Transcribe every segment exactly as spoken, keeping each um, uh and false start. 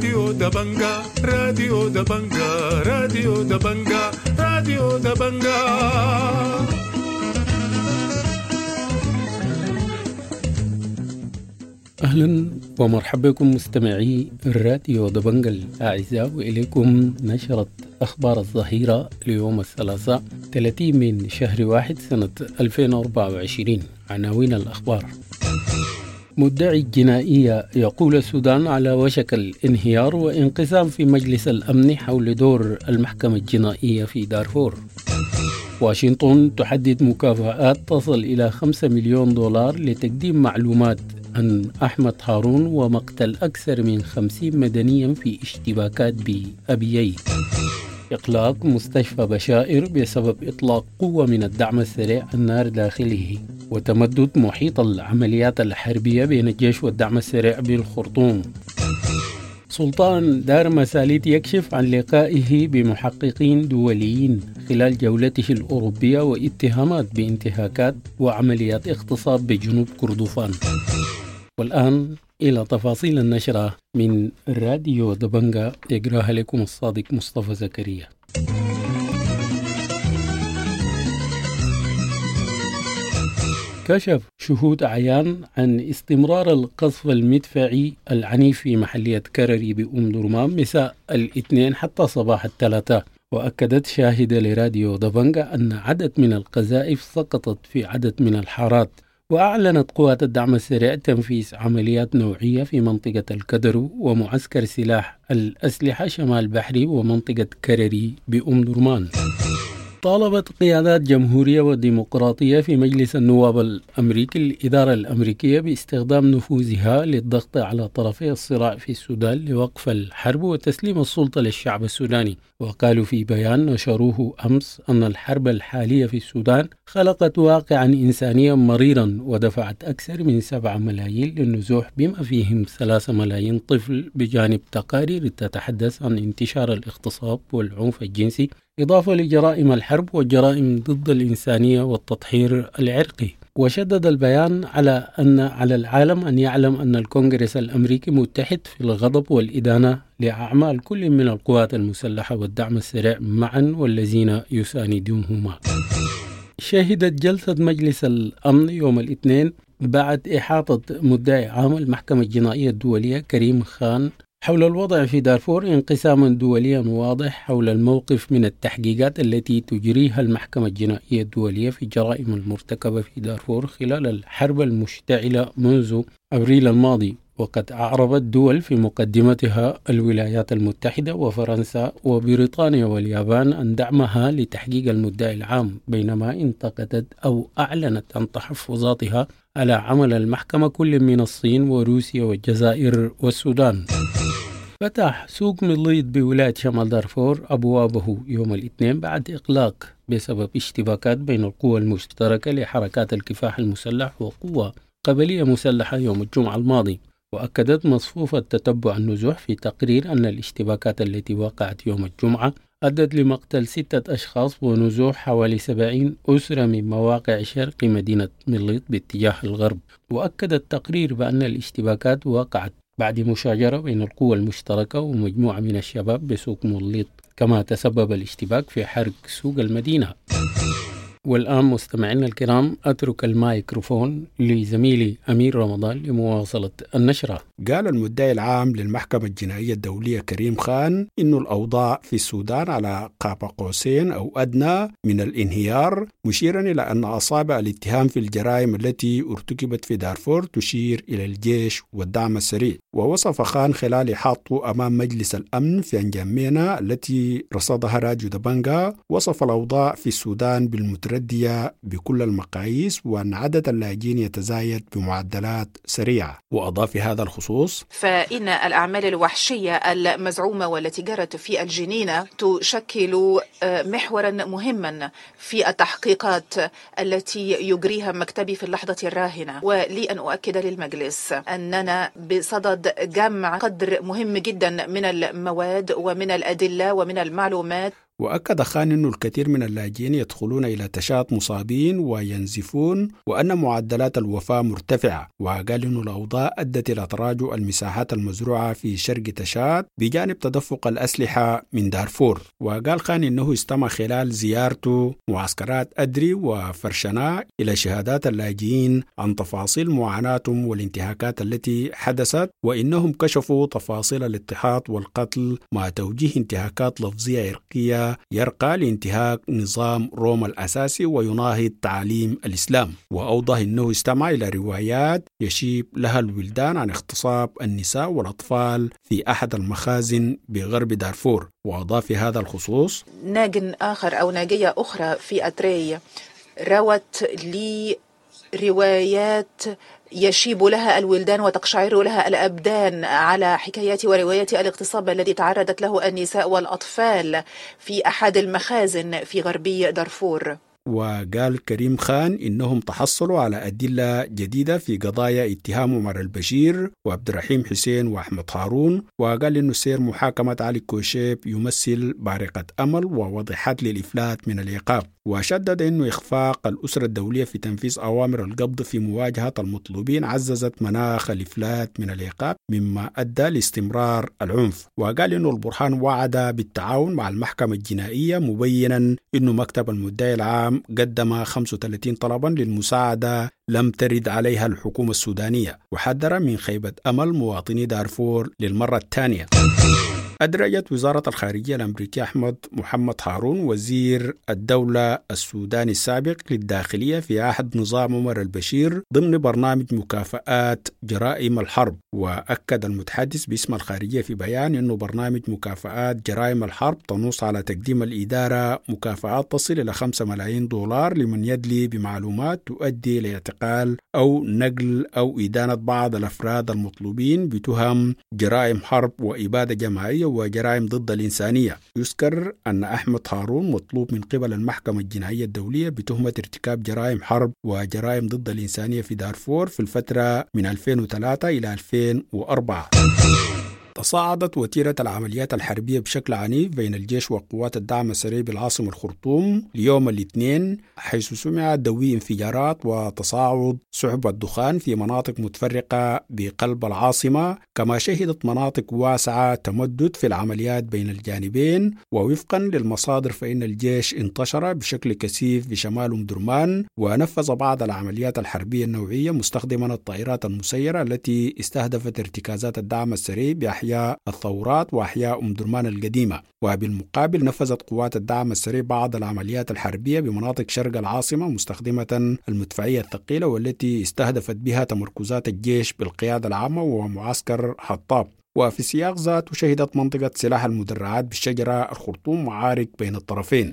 راديو دبنجا، راديو دبنجا، راديو دبنجا، راديو دبنجا. أهلا ومرحبا بكم مستمعي الراديو دبنجا الأعزاء، وإليكم نشرة أخبار الظهيرة ليوم الثلاثاء ثلاثين من شهر واحد سنة ألفين وأربعة وعشرين. عناوين الأخبار: مدعي الجنائية يقول السودان على وشك الانهيار وانقسام في مجلس الأمن حول دور المحكمة الجنائية في دارفور. واشنطن تحدد مكافآت تصل إلى خمسة مليون دولار لتقديم معلومات عن أحمد هارون ومقتل أكثر من خمسين مدنيا في اشتباكات بأبيي. إغلاق مستشفى بشائر بسبب إطلاق قوة من الدعم السريع النار داخله، وتمدد محيط العمليات الحربية بين الجيش والدعم السريع بالخرطوم. سلطان دار مساليت يكشف عن لقائه بمحققين دوليين خلال جولته الأوروبية واتهامات بانتهاكات وعمليات اغتصاب بجنوب كردفان. والآن إلى تفاصيل النشرة من راديو دبنجا، يقراها لكم الصادق مصطفى زكريا. كشف شهود عيان عن استمرار القصف المدفعي العنيف في محلية كرري بأم درمان مساء الاثنين حتى صباح الثلاثاء. وأكدت شاهدة لراديو دبنجا أن عدد من القذائف سقطت في عدد من الحارات. وأعلنت قوات الدعم السريع تنفيذ عمليات نوعية في منطقة الكدرو ومعسكر سلاح الأسلحة شمال بحري ومنطقة كرري بأم درمان. طالبت قيادات جمهورية وديمقراطية في مجلس النواب الأمريكي الإدارة الأمريكية باستخدام نفوذها للضغط على طرفي الصراع في السودان لوقف الحرب وتسليم السلطة للشعب السوداني. وقالوا في بيان نشروه أمس أن الحرب الحالية في السودان خلقت واقعا إنسانيا مريرا ودفعت أكثر من سبعة ملايين للنزوح بما فيهم ثلاثة ملايين طفل، بجانب تقارير تتحدث عن انتشار الاغتصاب والعنف الجنسي، إضافة لجرائم الحرب والجرائم ضد الإنسانية والتطهير العرقي. وشدد البيان على أن على العالم أن يعلم أن الكونغرس الأمريكي متحد في الغضب والإدانة لأعمال كل من القوات المسلحة والدعم السريع معا والذين يساندونهما. شهدت جلسة مجلس الأمن يوم الاثنين بعد إحاطة مدعي عام المحكمة الجنائية الدولية كريم خان حول الوضع في دارفور انقساما دوليا واضح حول الموقف من التحقيقات التي تجريها المحكمة الجنائية الدولية في الجرائم المرتكبة في دارفور خلال الحرب المشتعلة منذ أبريل الماضي. وقد أعربت دول في مقدمتها الولايات المتحدة وفرنسا وبريطانيا واليابان عن دعمها لتحقيق المدعي العام، بينما انتقدت أو أعلنت عن تحفظاتها على عمل المحكمة كل من الصين وروسيا والجزائر والسودان. فتح سوق مليط بولاية شمال دارفور أبوابه يوم الاثنين بعد إغلاق بسبب اشتباكات بين القوى المشتركة لحركات الكفاح المسلح وقوة قبلية مسلحة يوم الجمعة الماضي. وأكدت مصفوفة تتبع النزوح في تقرير أن الاشتباكات التي وقعت يوم الجمعة أدت لمقتل ستة أشخاص ونزوح حوالي سبعين أسرة من مواقع شرق مدينة مليط باتجاه الغرب. وأكد التقرير بأن الاشتباكات وقعت بعد مشاجرة بين القوى المشتركة ومجموعة من الشباب بسوق مليط، كما تسبب الاشتباك في حرق سوق المدينة. والآن مستمعينا الكرام أترك المايكروفون لزميلي أمير رمضان لمواصلة النشرة. قال المدعي العام للمحكمة الجنائية الدولية كريم خان إن الأوضاع في السودان على قاب قوسين أو أدنى من الانهيار، مشيرا إلى أن أصابع الاتهام في الجرائم التي ارتكبت في دارفور تشير إلى الجيش والدعم السريع. ووصف خان خلال إحاطته أمام مجلس الأمن في أنجامينا التي رصدها راديو دبنجا، وصف الأوضاع في السودان بالمتردية بكل المقاييس وأن عدد اللاجئين يتزايد بمعدلات سريعة. وأضاف في هذا الخصوص: فإن الأعمال الوحشية المزعومة والتي جرت في الجنينة تشكل محورا مهما في التحقيقات التي يجريها مكتبي في اللحظة الراهنة. ولي أن أؤكد للمجلس أننا بصدد جمع قدر مهم جدا من المواد ومن الأدلة ومن المعلومات. وأكد خان أن الكثير من اللاجئين يدخلون إلى تشاد مصابين وينزفون وأن معدلات الوفاة مرتفعة. وقال أن الأوضاع أدت إلى تراجع المساحات المزروعة في شرق تشاد بجانب تدفق الأسلحة من دارفور. وقال خان أنه استمع خلال زيارته معسكرات أدري وفرشنا إلى شهادات اللاجئين عن تفاصيل معاناتهم والانتهاكات التي حدثت، وإنهم كشفوا تفاصيل الاضطهاد والقتل مع توجيه انتهاكات لفظية عرقية يرقى لانتهاك نظام روما الأساسي ويناهض تعاليم الإسلام. وأوضح أنه استمع إلى روايات يشيب لها الولدان عن اغتصاب النساء والأطفال في أحد المخازن بغرب دارفور. وأضاف في هذا الخصوص: ناج آخر أو ناجية أخرى في أتري روت لي روايات يشيب لها الولدان وتقشعر لها الأبدان على حكايات وروايات الاغتصاب الذي تعرضت له النساء والأطفال في أحد المخازن في غربي دارفور. وقال كريم خان إنهم تحصلوا على أدلة جديدة في قضايا اتهام عمر البشير وعبد الرحيم حسين وأحمد هارون. وقال إنه سير محاكمة علي كوشيب يمثل بارقة أمل ووضحت للإفلات من العقاب. وشدد إنه إخفاق الأسرة الدولية في تنفيذ أوامر القبض في مواجهة المطلوبين عززت مناخ الإفلات من العقاب مما أدى لاستمرار العنف. وقال إنه البرهان وعد بالتعاون مع المحكمة الجنائية، مبينا إنه مكتب المدعي العام قدم خمسة وثلاثين طلبا للمساعدة لم ترد عليها الحكومة السودانية، وحذر من خيبة أمل مواطني دارفور للمرة الثانية. أدرجت وزارة الخارجية الأمريكية أحمد محمد هارون وزير الدولة السوداني السابق للداخلية في عهد نظام عمر البشير ضمن برنامج مكافآت جرائم الحرب. وأكد المتحدث باسم الخارجية في بيان أنه برنامج مكافآت جرائم الحرب تنص على تقديم الإدارة مكافآت تصل إلى خمسة ملايين دولار لمن يدلي بمعلومات تؤدي لاعتقال أو نقل أو إدانة بعض الأفراد المطلوبين بتهم جرائم حرب وإبادة جماعية وجرائم ضد الإنسانية. يذكر أن أحمد هارون مطلوب من قبل المحكمة الجنائية الدولية بتهمة ارتكاب جرائم حرب وجرائم ضد الإنسانية في دارفور في الفترة من ألفين وثلاثة إلى ألفين وأربعة. تصاعدت وتيرة العمليات الحربية بشكل عنيف بين الجيش وقوات الدعم السريع بالعاصمة الخرطوم ليوم الاثنين، حيث سمع دوي انفجارات وتصاعد سحب الدخان في مناطق متفرقة بقلب العاصمة، كما شهدت مناطق واسعة تمدد في العمليات بين الجانبين. ووفقا للمصادر فإن الجيش انتشر بشكل كثيف بشمال أم درمان ونفذ بعض العمليات الحربية النوعية مستخدما الطائرات المسيرة التي استهدفت ارتكازات الدعم السريع بأحياء الثورات وأحياء أم درمان القديمة. وبالمقابل نفذت قوات الدعم السريع بعض العمليات الحربية بمناطق شرق العاصمة مستخدمة المدفعية الثقيلة والتي استهدفت بها تمركزات الجيش بالقيادة العامة ومعسكر حطاب. وفي سياق ذاته شهدت منطقة سلاح المدرعات بالشجرة الخرطوم معارك بين الطرفين.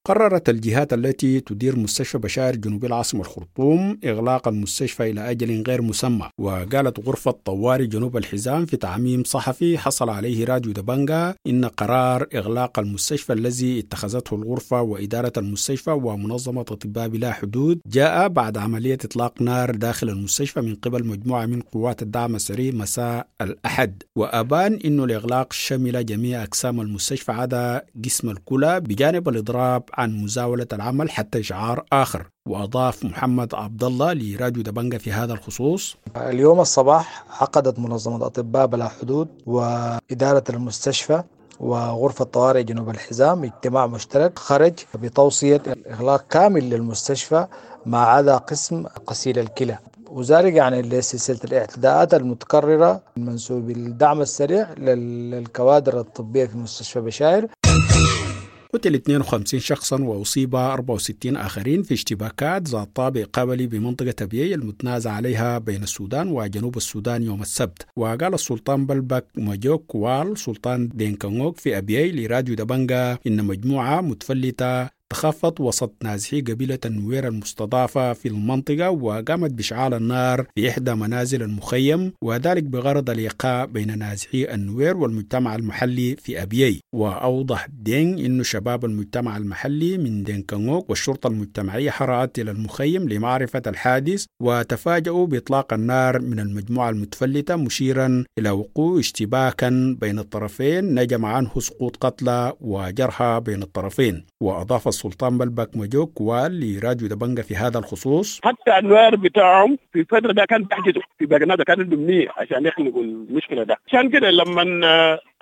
قررت الجهات التي تدير مستشفى بشار جنوب العاصمة الخرطوم إغلاق المستشفى إلى أجل غير مسمى. وقالت غرفة طوارئ جنوب الحزام في تعميم صحفي حصل عليه راديو دبنجا إن قرار إغلاق المستشفى الذي اتخذته الغرفة وإدارة المستشفى ومنظمة أطباء بلا حدود جاء بعد عملية إطلاق نار داخل المستشفى من قبل مجموعة من قوات الدعم السريع مساء الأحد. وأبان إنه الإغلاق شمل جميع أقسام المستشفى عدا قسم الكلى بجانب الإضراب عن مزاولة العمل حتى إشعار آخر. وأضاف محمد عبد الله لراديو دبنجا في هذا الخصوص: اليوم الصباح عقدت منظمة أطباء بلا حدود وإدارة المستشفى وغرفة طوارئ جنوب الحزام اجتماع مشترك خرج بتوصية إغلاق كامل للمستشفى ما عدا قسم غسيل الكلى، وذلك يعني لسلسلة الاعتداءات المتكررة من منسوب الدعم السريع للكوادر الطبية في مستشفى بشاير. قتل اثنين وخمسين شخصا وأصيب أربعة وستين آخرين في اشتباكات ذات طابع قبلي بمنطقة أبيي المتنازع عليها بين السودان وجنوب السودان يوم السبت. وقال السلطان بلبك ماجوك وال سلطان دينكانغوك في أبيي لراديو دبنجا إن مجموعة متفلتة تخفت وسط نازحي قبيلة النوير المستضافة في المنطقة، وقامت بإشعال النار في إحدى منازل المخيم، وذلك بغرض الإيقاع بين نازحي النوير والمجتمع المحلي في أبيي. وأوضح دينغ إنه شباب المجتمع المحلي من دينكانغوك والشرطة المجتمعية هرعت إلى المخيم لمعرفة الحادث، وتفاجؤوا بإطلاق النار من المجموعة المتفلتة، مشيرا إلى وقوع اشتباكا بين الطرفين نجم عنه سقوط قتلى وجرحى بين الطرفين. وأضاف السلطان بلبك مجوك وال لراديو دبنجة في هذا الخصوص: حتى النوير بتاعهم في الفترة ده كان بيحجزوا في باقي ده، كان عندهم نية عشان يخلقوا المشكلة ده. عشان كده لما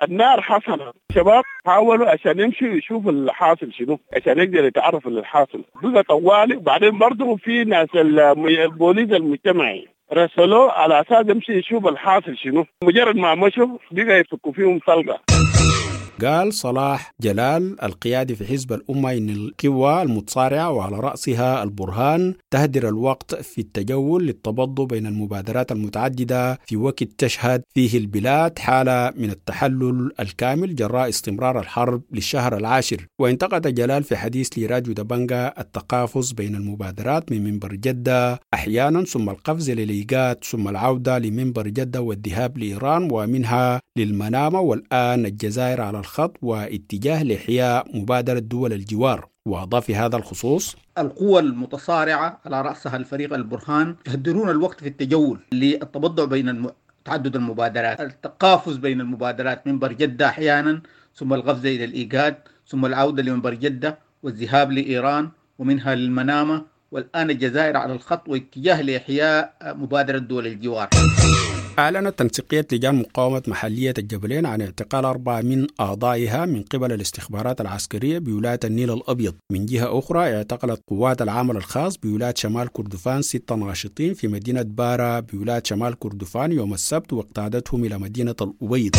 النار حصلت الشباب حاولوا عشان يمشوا يشوفوا الحاصل شنو، عشان يقدر يتعرفوا للحاصل بقى طوالي. وبعدين برضه في ناس البوليس المجتمعي رسلوه على اساس يمشي يشوف الحاصل شنو، مجرد ما مشوا بقى يفكوا فيهم طلقه. قال صلاح جلال القيادي في حزب الأمة إن القوى المتصارعة وعلى رأسها البرهان تهدر الوقت في التجول للتبض بين المبادرات المتعددة في وقت تشهد فيه البلاد حالة من التحلل الكامل جراء استمرار الحرب للشهر العاشر. وانتقد جلال في حديث لراديو دبنجة التقافز بين المبادرات من منبر جدة أحيانا، ثم القفز للإيجاد، ثم العودة لمنبر جدة والذهاب لإيران ومنها للمنامة، والآن الجزائر على الخط واتجاه لإحياء مبادرة دول الجوار. وأضاف في هذا الخصوص: القوى المتصارعة على رأسها الفريق البرهان يهدرون الوقت في التجول للتبضع بين الم... تعدد المبادرات، التقافز بين المبادرات، منبر جدة أحيانا ثم القفز إلى الإيجاد، ثم العودة لمنبر جدة والذهاب لإيران ومنها للمنامة، والآن الجزائر على الخط واتجاه لإحياء مبادرة دول الجوار. أعلنت تنسيقية لجان مقاومة محلية الجبلين عن اعتقال أربعة من أعضائها من قبل الاستخبارات العسكرية بولاية النيل الأبيض. من جهة أخرى اعتقلت قوات العمل الخاص بولاية شمال كردفان ستة ناشطين في مدينة بارا بولاية شمال كردفان يوم السبت، واقتادتهم إلى مدينة الأبيض.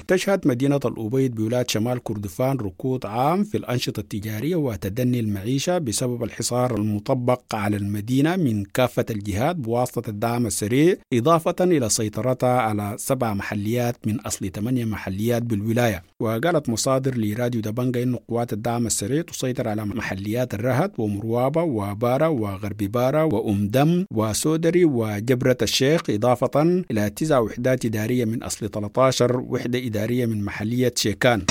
تشهد مدينة الأبيض بولاية شمال كردفان ركود عام في الأنشطة التجارية وتدني المعيشة بسبب الحصار المطبق على المدينة من كافة الجهات بواسطة الدعم السريع، إضافة إلى سيطرتها على سبع محليات من أصل ثمانية محليات بالولاية. وقالت مصادر لراديو دبنجة إن قوات الدعم السريع تسيطر على محليات الرهد ومروابة وبارا وغرب بارا وأم دم وسودري وجبرة الشيخ، إضافة إلى تسع وحدات إدارية من أصل ثلاثة عشر وحدة إدارية من محلية شيكان.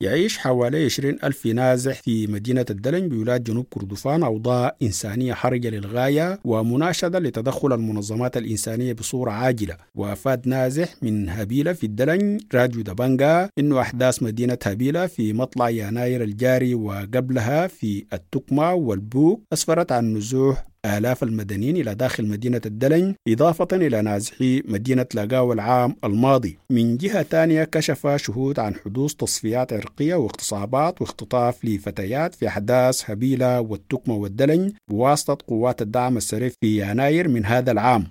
يعيش حوالي عشرين ألف نازح في مدينة الدلنج بولاية جنوب كردفان أوضاع إنسانية حرجة للغاية ومناشدة لتدخل المنظمات الإنسانية بصورة عاجلة. وأفاد نازح من هبيلة في الدلنج راديو دبنجة إنه أحداث مدينة هبيلة في مطلع يناير الجاري وقبلها في التكمة والبوك أسفرت عن نزوح آلاف المدنيين إلى داخل مدينة الدلنج، إضافة إلى نازحي مدينة لاقاو العام الماضي. من جهة ثانية كشف شهود عن حدوث تصفيات عرقية واغتصابات واختطاف لفتيات في أحداث هبيلة والتكمة والدلنج بواسطة قوات الدعم السريع في يناير من هذا العام.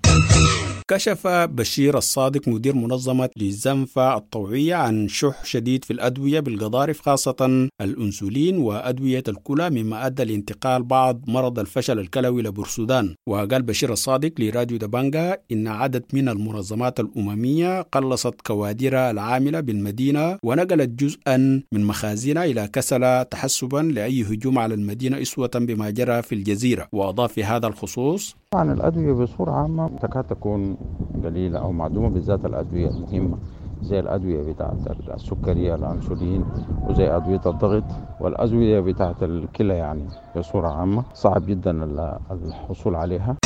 كشف بشير الصادق مدير منظمة للزنفة الطوعية عن شح شديد في الأدوية بالقضارف، خاصة الأنسولين وأدوية الكلى، مما أدى لانتقال بعض مرض الفشل الكلوي لبورسودان. وقال بشير الصادق لراديو دبنجة إن عدد من المنظمات الأممية قلصت كوادرها العاملة بالمدينة ونقلت جزءا من مخازنها إلى كسلة تحسبا لأي هجوم على المدينة أسوة بما جرى في الجزيرة. وأضاف في هذا الخصوص: طبعا الأدوية بصورة عامة تكاد تكون قليلة أو معدومة، بالذات الأدوية المهمة زي الأدوية بتاعة السكرية الأنسولين، وزي أدوية الضغط والأدوية بتاعة الكلى، يعني بصورة عامة صعب جدا الحصول عليها.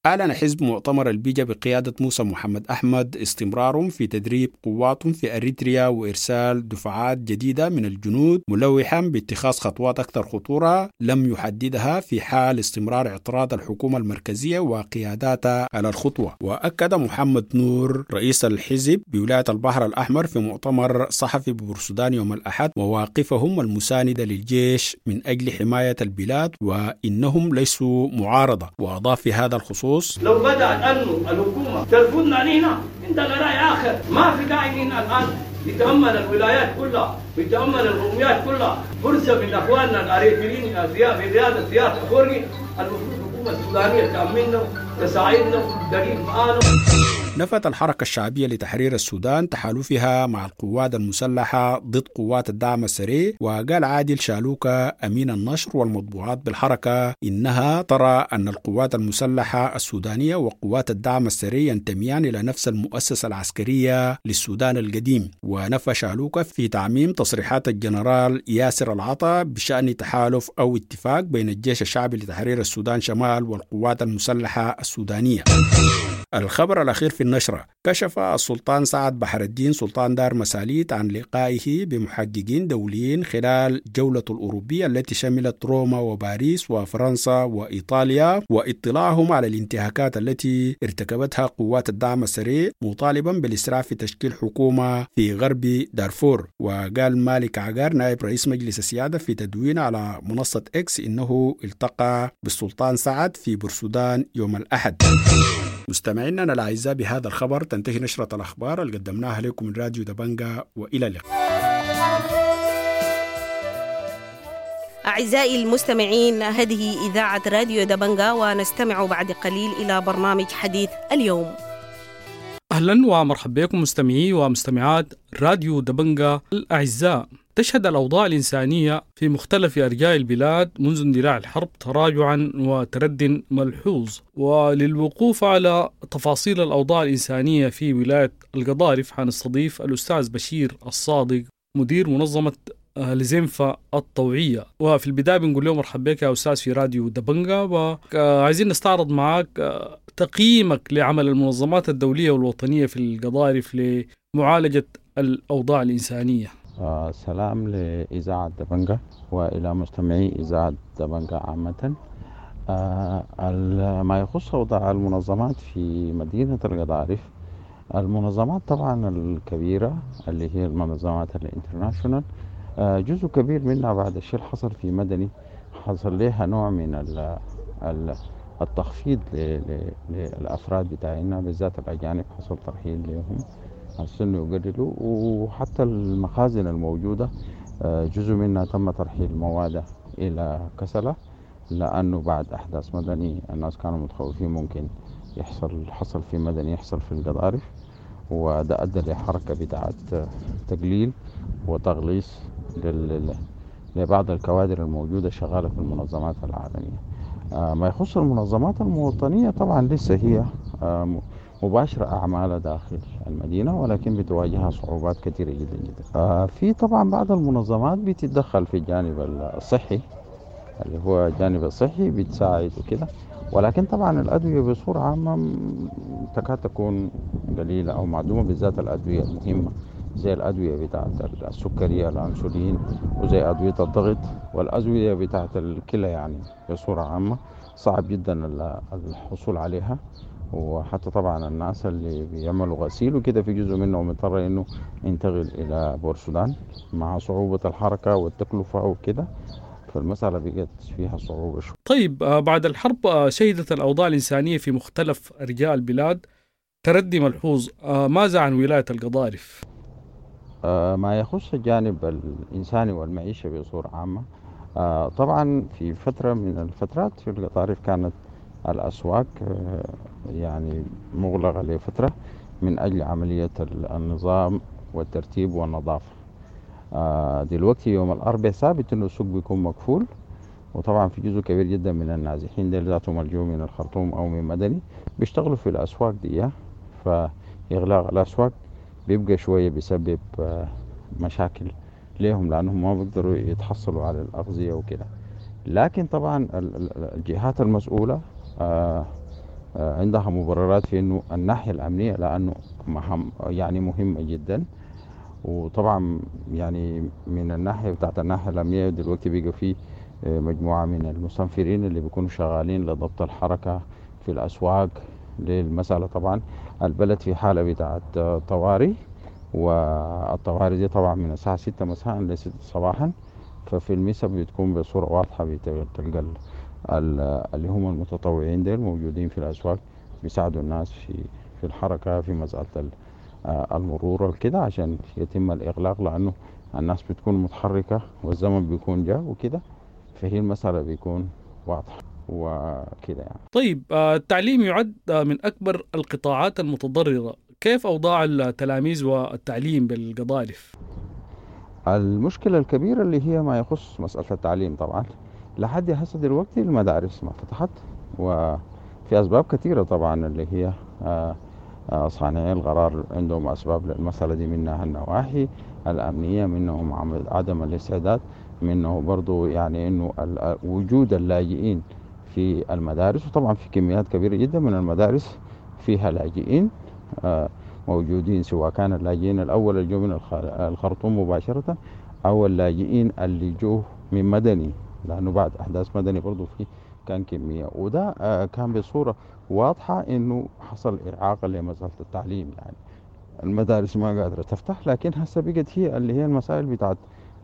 أعلن حزب مؤتمر البيجا بقيادة موسى محمد أحمد استمرارهم في تدريب قواتهم في أريتريا وإرسال دفعات جديدة من الجنود، ملوحا باتخاذ خطوات أكثر خطورة لم يحددها في حال استمرار اعتراض الحكومة المركزية وقياداتها على الخطوة. وأكد محمد نور رئيس الحزب بولاية البحر الأحمر في مؤتمر صحفي ببورسودان يوم الأحد مواقفهم المساندة للجيش من أجل حماية البلاد وإنهم ليسوا معارضة. وأضاف في هذا الخصوص: لو بدأت أنه الحكومة ترفضنا علينا عندنا رأي آخر، ما في داعي إن الآن نتأمل الولايات كلها بتأمن القوميات كلها فرصة من اخواننا الاريتريين في قيادة سياسة افورقي، المفروض الحكومة السودانية تامننا تساعدنا تقيف معانا. نفت الحركة الشعبية لتحرير السودان تحالفها مع القوات المسلحة ضد قوات الدعم السريع. وقال عادل شالوكا أمين النشر والمطبوعات بالحركة إنها ترى أن القوات المسلحة السودانية وقوات الدعم السريع ينتميان إلى نفس المؤسسة العسكرية للسودان القديم. ونفى شالوكا في تعميم تصريحات الجنرال ياسر العطا بشأن تحالف أو اتفاق بين الجيش الشعبي لتحرير السودان شمال والقوات المسلحة السودانية. الخبر الأخير في النشرة: كشف السلطان سعد بحر الدين سلطان دار مساليت عن لقائه بمحققين دوليين خلال جولته الأوروبية التي شملت روما وباريس وفرنسا وإيطاليا، واطلاعهم على الانتهاكات التي ارتكبتها قوات الدعم السريع، مطالبا بالإسراع في تشكيل حكومة في غرب دارفور. وقال مالك عقار نائب رئيس مجلس السيادة في تدوين على منصة إكس إنه التقى بالسلطان سعد في بورسودان يوم الأحد. مستمعينا الأعزاء، بهذا الخبر تنتهي نشرة الأخبار اللي قدمناها لكم من راديو دبنجا، وإلى اللقاء. أعزائي المستمعين، هذه إذاعة راديو دبنجا، ونستمع بعد قليل إلى برنامج حديث اليوم. أهلا ومرحبا بكم مستمعي ومستمعات راديو دبنجا الأعزاء. تشهد الأوضاع الإنسانية في مختلف أرجاء البلاد منذ اندلاع الحرب تراجعا وترد ملحوظ. وللوقوف على تفاصيل الأوضاع الإنسانية في ولاية القضارف حنستضيف الأستاذ بشير الصادق مدير منظمة لزنفة الطوعية. وفي البداية بنقول له مرحبا بك يا أستاذ في راديو دبنجا، وعايزين نستعرض معك تقييمك لعمل المنظمات الدولية والوطنية في القضارف لمعالجة الأوضاع الإنسانية. آه سلام لإذاعة دبنجا وإلى مستمعي إذاعة دبنجا عامة. آه ما يخص أوضاع المنظمات في مدينة القضارف، المنظمات طبعا الكبيرة اللي هي المنظمات ال international، آه جزء كبير منها بعد الشيء اللي حصل في مدني حصل لها نوع من ال ال التخفيض للأفراد بتاعنا بالذات الأجانب، حصل ترحيل لهم عشان يقللوا، وحتى المخازن الموجودة جزء منها تم ترحيل مواد إلى كسلة، لأنه بعد أحداث مدني الناس كانوا متخوفين ممكن يحصل حصل في مدني يحصل في القضارف، وده أدى لحركة بتاعت تقليل وتغليص لبعض الكوادر الموجودة شغالة في المنظمات العالمية. ما يخص المنظمات المواطنية طبعا لسه هي مباشرة أعمالها داخل المدينة، ولكن بتواجهها صعوبات كثيرة جدا جدا. في طبعا بعض المنظمات بتتدخل في الجانب الصحي اللي هو الجانب الصحي بتساعد وكده، ولكن طبعا الأدوية بصورة عامة تكاد تكون قليلة أو معدومة، بالذات الأدوية المهمة زي الأدوية بتاعت السكرية الأنسولين وزي أدوية الضغط والأدوية بتاعت الكلى، يعني بصورة عامة صعب جدا الحصول عليها. وحتى طبعا الناس اللي بيعملوا غسيل وكده في جزء منهم اضطر انه ينتقل الى بورسودان مع صعوبة الحركة والتكلفة وكده، فالمسألة بقت فيها صعوبة شوي. طيب، بعد الحرب شهدت الأوضاع الإنسانية في مختلف أرجاء البلاد تردي ملحوظ، ماذا عن ولاية القضارف؟ ما يخص الجانب الإنساني والمعيشة بصورة عامة، طبعا في فترة من الفترات في القضارف كانت الأسواق يعني مغلقة لفترة من أجل عملية النظام والترتيب والنظافة. دلوقتي يوم الأربعاء ثابت إنه السوق بيكون مقفول، وطبعا في جزء كبير جدا من النازحين ديل ذاتهم الجو من الخرطوم أو من مدني بيشتغلوا في الأسواق دي، فإغلاق الأسواق بيبقى شوية بيسبب مشاكل ليهم لأنهم ما بيقدروا يتحصلوا على الأغذية وكده. لكن طبعا الجهات المسؤولة عندها مبررات في انه الناحية الأمنية لأنه يعني مهمة جدا، وطبعا يعني من الناحية بتاعت الناحية الأمنية دلوقتي بيبقى في مجموعة من المستنفرين اللي بيكونوا شغالين لضبط الحركة في الأسواق للمسألة. طبعا البلد في حالة بتاعت طوارئ، والطوارئ دي طبعا من الساعة ستة مساء لستة صباحا، ففي المسا بتكون بصورة واضحة بتلقى اللي هم المتطوعين ديل موجودين في الأسواق بيساعدوا الناس في في الحركة في مسألة المرور وكده عشان يتم الإغلاق، لأنه الناس بتكون متحركة والزمن بيكون جاء وكده، فهي المسألة بيكون واضحة وكده يعني. طيب، التعليم يعد من أكبر القطاعات المتضررة، كيف أوضاع التلاميذ والتعليم بالقضارف؟ المشكلة الكبيرة اللي هي ما يخص مسألة التعليم، طبعا لحد هسه دلوقتي المدارس ما فتحت، وفي أسباب كثيرة طبعا اللي هي صانعي القرار عندهم أسباب للمسألة دي، منها النواحي الأمنية، منهم عدم الاستعداد، منه برضو يعني إنه وجود اللاجئين في المدارس، وطبعا في كميات كبيرة جدا من المدارس فيها لاجئين موجودين، سواء كان اللاجئين الأول اللي جو من الخرطوم مباشرة أو اللاجئين اللي جو من مدني، لأنه بعد أحداث مدني برضو في كان كمية، وده كان بصورة واضحة إنه حصل إعاقة لمسألة التعليم، يعني المدارس ما قادرة تفتح. لكن هسه بقت هي اللي هي المسائل بتاعت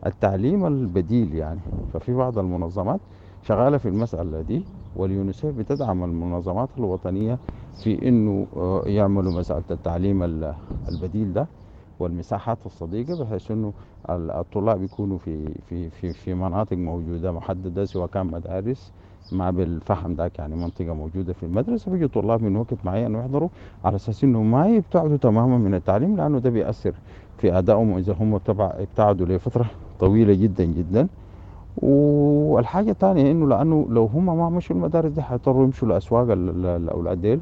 التعليم البديل يعني، ففي بعض المنظمات شغالة في المسألة دي، واليونيسيف بتدعم المنظمات الوطنية في إنه يعملوا مسألة التعليم البديل ده والمساحات الصديقة، بحيث إنه الطلاب يكونوا في في في في مناطق موجودة محددة، سواء كان مدارس ما بالفهم ذاك يعني منطقة موجودة في المدرسة، بيجي طلاب من وقت معين ويحضروا على أساس إنه ما يبتعدوا تماما من التعليم، لأنه ده بيأثر في أدائهم إذا هم ابتعدوا لفترة طويلة جدا جدا. والحاجة الثانية إنه لأنه لو هم ما مشوا المدارس دي حيضطروا يمشوا لأسواق الأولاد ديل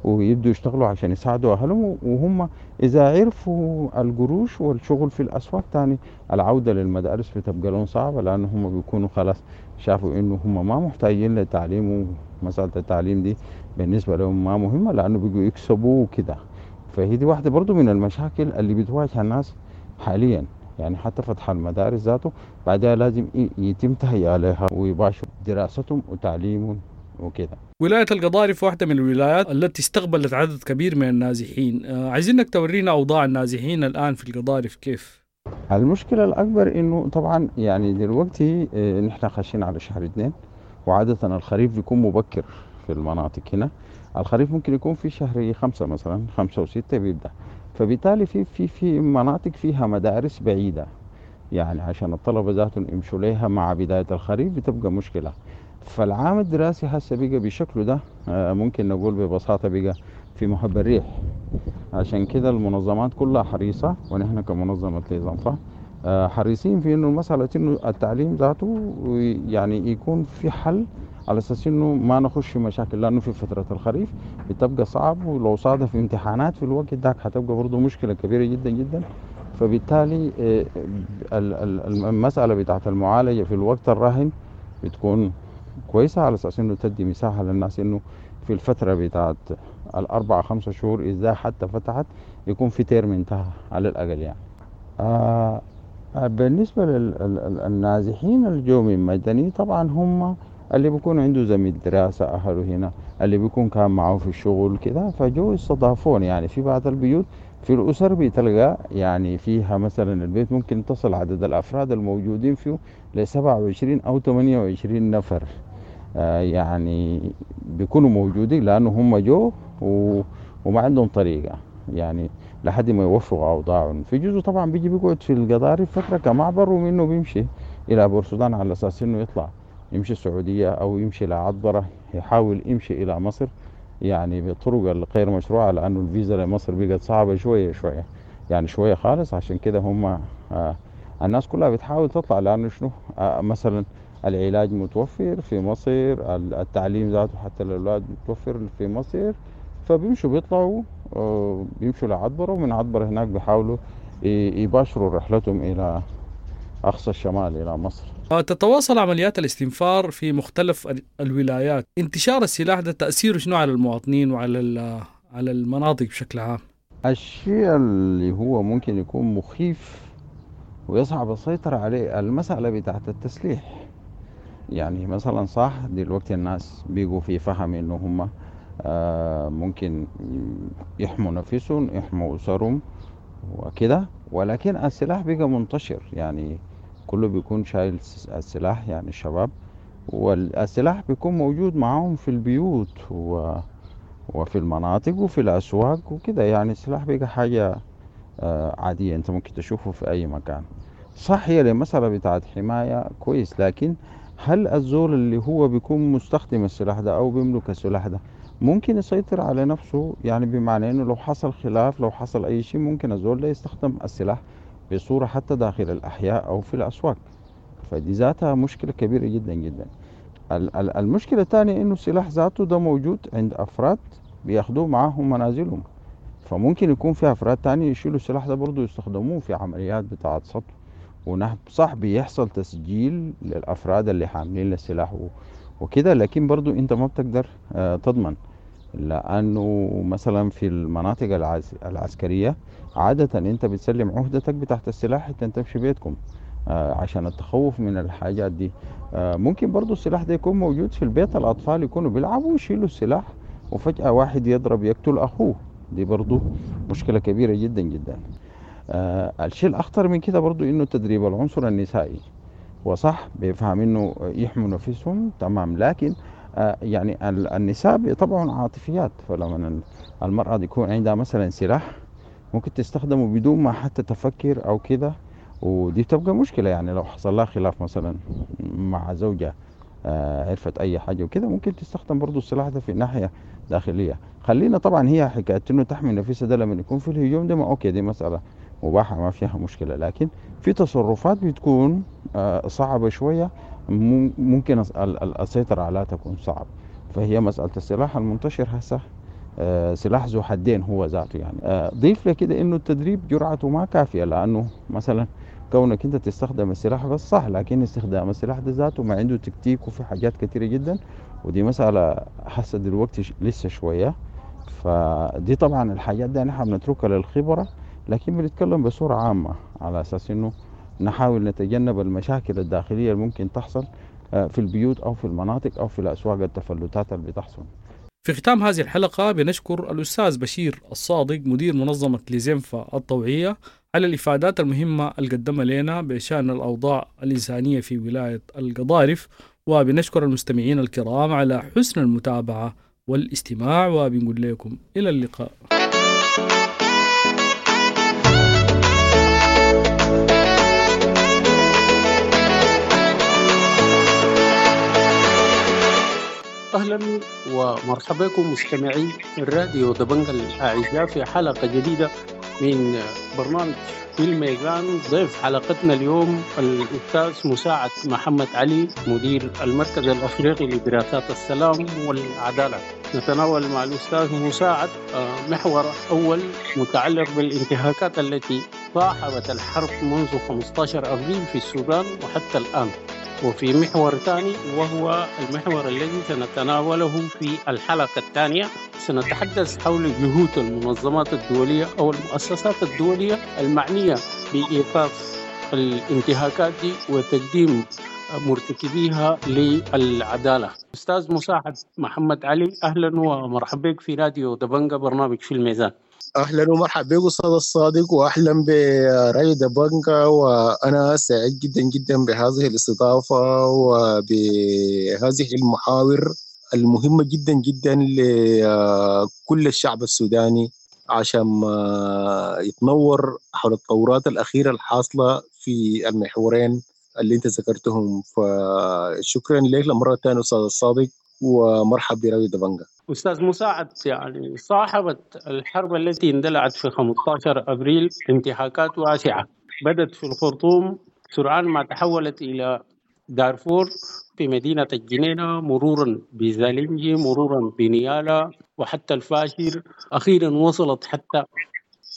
ويبدوا يشتغلوا عشان يساعدوا أهلهم، وهم إذا عرفوا القروش والشغل في الأسواق تاني العودة للمدارس بتبقى لهم صعبة، لأنه هم بيكونوا خلاص شافوا إنه هم ما محتاجين للتعليم، ومسألة التعليم دي بالنسبة لهم ما مهمة لأنه بيجوا يكسبوا وكده. فهي دي واحدة برضو من المشاكل اللي بتواجه الناس حاليا، يعني حتى فتح المدارس ذاته بعدها لازم يتم تهيئة لها ويباشروا دراستهم وتعليمهم وكده. ولاية القضارف واحدة من الولايات التي استقبلت عدد كبير من النازحين، عايزينك تورينا أوضاع النازحين الآن في القضارف كيف؟ المشكلة الأكبر إنه طبعا يعني دلوقتي نحن خاشين على شهر اثنين، وعادة الخريف بيكون مبكر في المناطق هنا، الخريف ممكن يكون في شهر خمسة مثلا، خمسة وستة بيبدأ، فبالتالي في في في مناطق فيها مدارس بعيدة، يعني عشان الطلبة ذاتهم يمشوا ليها مع بداية الخريف بتبقى مشكلة. فالعام الدراسي هسه بقى بشكله ده ممكن نقول ببساطة بقى في مهب الريح، عشان كده المنظمات كلها حريصة، ونحن كمنظمة ليزانفا حريصين في انه مسألة انه التعليم ذاته يعني يكون في حل على اساس انه ما نخش في مشاكل، لانه في فترة الخريف بتبقى صعب، ولو صادف امتحانات في الوقت ذاك حتبقى برضه مشكلة كبيرة جدا جدا. فبالتالي المسألة بتاعت المعالجة في الوقت الراهن بتكون كويسة على اساس انه تدي مساحة للناس انه في الفترة بتاعت الاربع خمسة شهور اذا حتى فتحت يكون في ترم انتهى على الاقل يعني. آه بالنسبة للنازحين الجو من مدني طبعا هم اللي بيكون عنده زميل دراسة أهله هنا، اللي بيكون كان معه في الشغل كده، فجو استضافون يعني. في بعض البيوت في الأسر بتلقى يعني فيها مثلا البيت ممكن تصل عدد الأفراد الموجودين فيه لسبعة وعشرين أو ثمانية وعشرين نفر، آه يعني بيكونوا موجودين لأنه هم جو و... وما عندهم طريقة يعني لحد ما يوفقوا أوضاعهم. في جزء طبعا بيجي بيقعد في القضارف فترة كمعبر، ومنه بيمشي إلى بورسودان على أساس إنه يطلع يمشي السعودية أو يمشي لعطبرة، يحاول يمشي إلى مصر يعني بطرق الغير مشروعة، لأنه الفيزا لمصر بقت صعبة شوية شوية يعني شوية خالص. عشان كده هم آه الناس كلها بتحاول تطلع، لأنه شنو آه مثلا العلاج متوفر في مصر، التعليم ذاته حتى للأولاد متوفر في مصر، فبيمشوا بيطلعوا آه بيمشوا لعطبرة، ومن عطبرة هناك بيحاولوا يباشروا رحلتهم إلى أقصى الشمال إلى مصر. تتواصل عمليات الاستنفار في مختلف الولايات، انتشار السلاح ده تأثيره شنو على المواطنين وعلى على المناطق بشكل عام؟ الشيء اللي هو ممكن يكون مخيف ويصعب السيطرة عليه المسألة بتاعت التسليح. يعني مثلا صح دلوقتي الناس بيجوا في فهم إنه هم ممكن يحموا نفسهم يحموا أسرهم وكده، ولكن السلاح بقى منتشر، يعني كله بيكون شايل السلاح يعني الشباب، والسلاح بيكون موجود معاهم في البيوت و... وفي المناطق وفي الأسواق وكده. يعني السلاح بقى حاجة عادية انت ممكن تشوفه في أي مكان، صح هي المسألة بتاعت حماية كويس، لكن هل الزول اللي هو بيكون مستخدم السلاح ده أو بيملك السلاح ده ممكن يسيطر على نفسه؟ يعني بمعنى إنه لو حصل خلاف، لو حصل أي شيء، ممكن الزول ده يستخدم السلاح بصورة حتى داخل الأحياء أو في الأسواق، فدي ذاتها مشكلة كبيرة جدا جدا. المشكلة الثانية إنه السلاح ذاته ده موجود عند أفراد بياخدوه معاهم منازلهم، فممكن يكون في أفراد تانية يشيلوا السلاح ده برضو يستخدموه في عمليات بتاعة سطو ونهب. صح بيحصل تسجيل للأفراد اللي حاملين السلاح وكده، لكن برضو أنت ما بتقدر تضمن، لأنه مثلا في المناطق العسكرية عادة أنت بتسلم عهدتك بتاعت السلاح حتى تمشي بيتكم عشان التخوف من الحاجات دي. ممكن برضو السلاح ده يكون موجود في البيت، الأطفال يكونوا بيلعبوا ويشيلوا السلاح وفجأة واحد يضرب يقتل أخوه، دي برضو مشكلة كبيرة جدا جدا. آه الشيء الأخطر من كده برضو إنه تدريب العنصر النسائي، وصح بيفهم إنه يحموا نفسهم تمام، لكن آه يعني النساء طبعا عاطفيات، فلما المرأة يكون عندها مثلا سلاح ممكن تستخدمه بدون ما حتى تفكر أو كده، ودي تبقى مشكلة. يعني لو حصل لها خلاف مثلا مع زوجها آه عرفت أي حاجة وكده، ممكن تستخدم برضو السلاح ده في ناحية داخلية. خلينا طبعا هي حكاية إنه تحمي نفسها ده لما يكون في الهجوم ده ما okay، دي مسألة مباحة ما فيها مشكلة، لكن في تصرفات بتكون آه صعبة شوية، ممكن السيطرة عليها تكون صعب. فهي مسألة السلاح المنتشر هسه آه سلاح ذو حدين هو ذاته يعني. آه ضيف لكده إنه التدريب جرعته ما كافية، لأنه مثلا كونك انت تستخدم السلاح بس صح، لكن استخدام السلاح ده ذاته ما عنده تكتيك وفي حاجات كثيرة جدا، ودي مسألة حاسة دلوقتي لسه شوية. فدي طبعا الحاجات دي نحن بنتركها للخبرة، لكن بنتكلم بصورة عامة على أساس إنه نحاول نتجنب المشاكل الداخلية اللي ممكن تحصل في البيوت أو في المناطق أو في الأسواق، التفلتات اللي بتحصل. في ختام هذه الحلقة بنشكر الأستاذ بشير الصادق مدير منظمة لزنفة الطوعية على الإفادات المهمة اللي قدمها لنا بشأن الأوضاع الإنسانية في ولاية القضارف، وبنشكر المستمعين الكرام على حسن المتابعة والاستماع، وبنقول لكم إلى اللقاء. أهلا ومرحبا بكم مستمعي الراديو دبنجا الأعزاء في حلقة جديدة من برنامج في الميزان. ضيف حلقتنا اليوم الأستاذ مساعد محمد علي، مدير المركز الأفريقي لدراسات السلام والعدالة. نتناول مع الأستاذ مساعد محور أول متعلق بالانتهاكات التي صاحبت الحرب منذ خمسة عشر أبريل في السودان وحتى الآن، وفي محور ثاني وهو المحور الذي سنتناوله في الحلقة الثانية سنتحدث حول جهود المنظمات الدولية أو المؤسسات الدولية المعنية بإيقاف الانتهاكات دي وتقديم مرتكبيها للعدالة. أستاذ مساعد محمد علي، أهلا ومرحبا بك في راديو دبنجا برنامج في الميزان. اهلا ومرحبا بك استاذ الصادق، واهلا براديو دبنجا، وانا سعيد جدا جدا بهذه الاستضافه وبهذه المحاور المهمه جدا جدا لكل الشعب السوداني عشان يتنور حول التطورات الاخيره الحاصله في المحورين اللي انت ذكرتهم. فشكرا لك لمره ثانيه استاذ الصادق، ومرحبا براديو دبنجا. أستاذ مساعد، يعني صاحبت الحرب التي اندلعت في خمسة عشر أبريل انتهاكات واسعة، بدت في الخرطوم سرعان ما تحولت إلى دارفور في مدينة الجنينة، مرورا بزالنجي، مرورا بنيالا، وحتى الفاشر، أخيرا وصلت حتى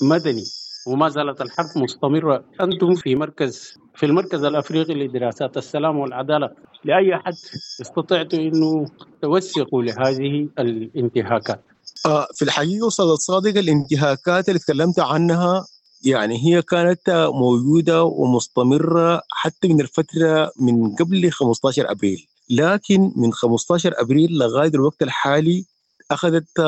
مدني، وما زالت الحرب مستمرة. أنتم في مركز في المركز الأفريقي لدراسات السلام والعدالة، لأي حد استطعتوا أنه توثقوا لهذه الانتهاكات؟ آه في الحقيقة أستاذ الصادق، الانتهاكات اللي تكلمت عنها يعني هي كانت موجودة ومستمرة حتى من الفترة من قبل خمسة عشر أبريل، لكن من خمسة عشر أبريل لغاية الوقت الحالي أخذت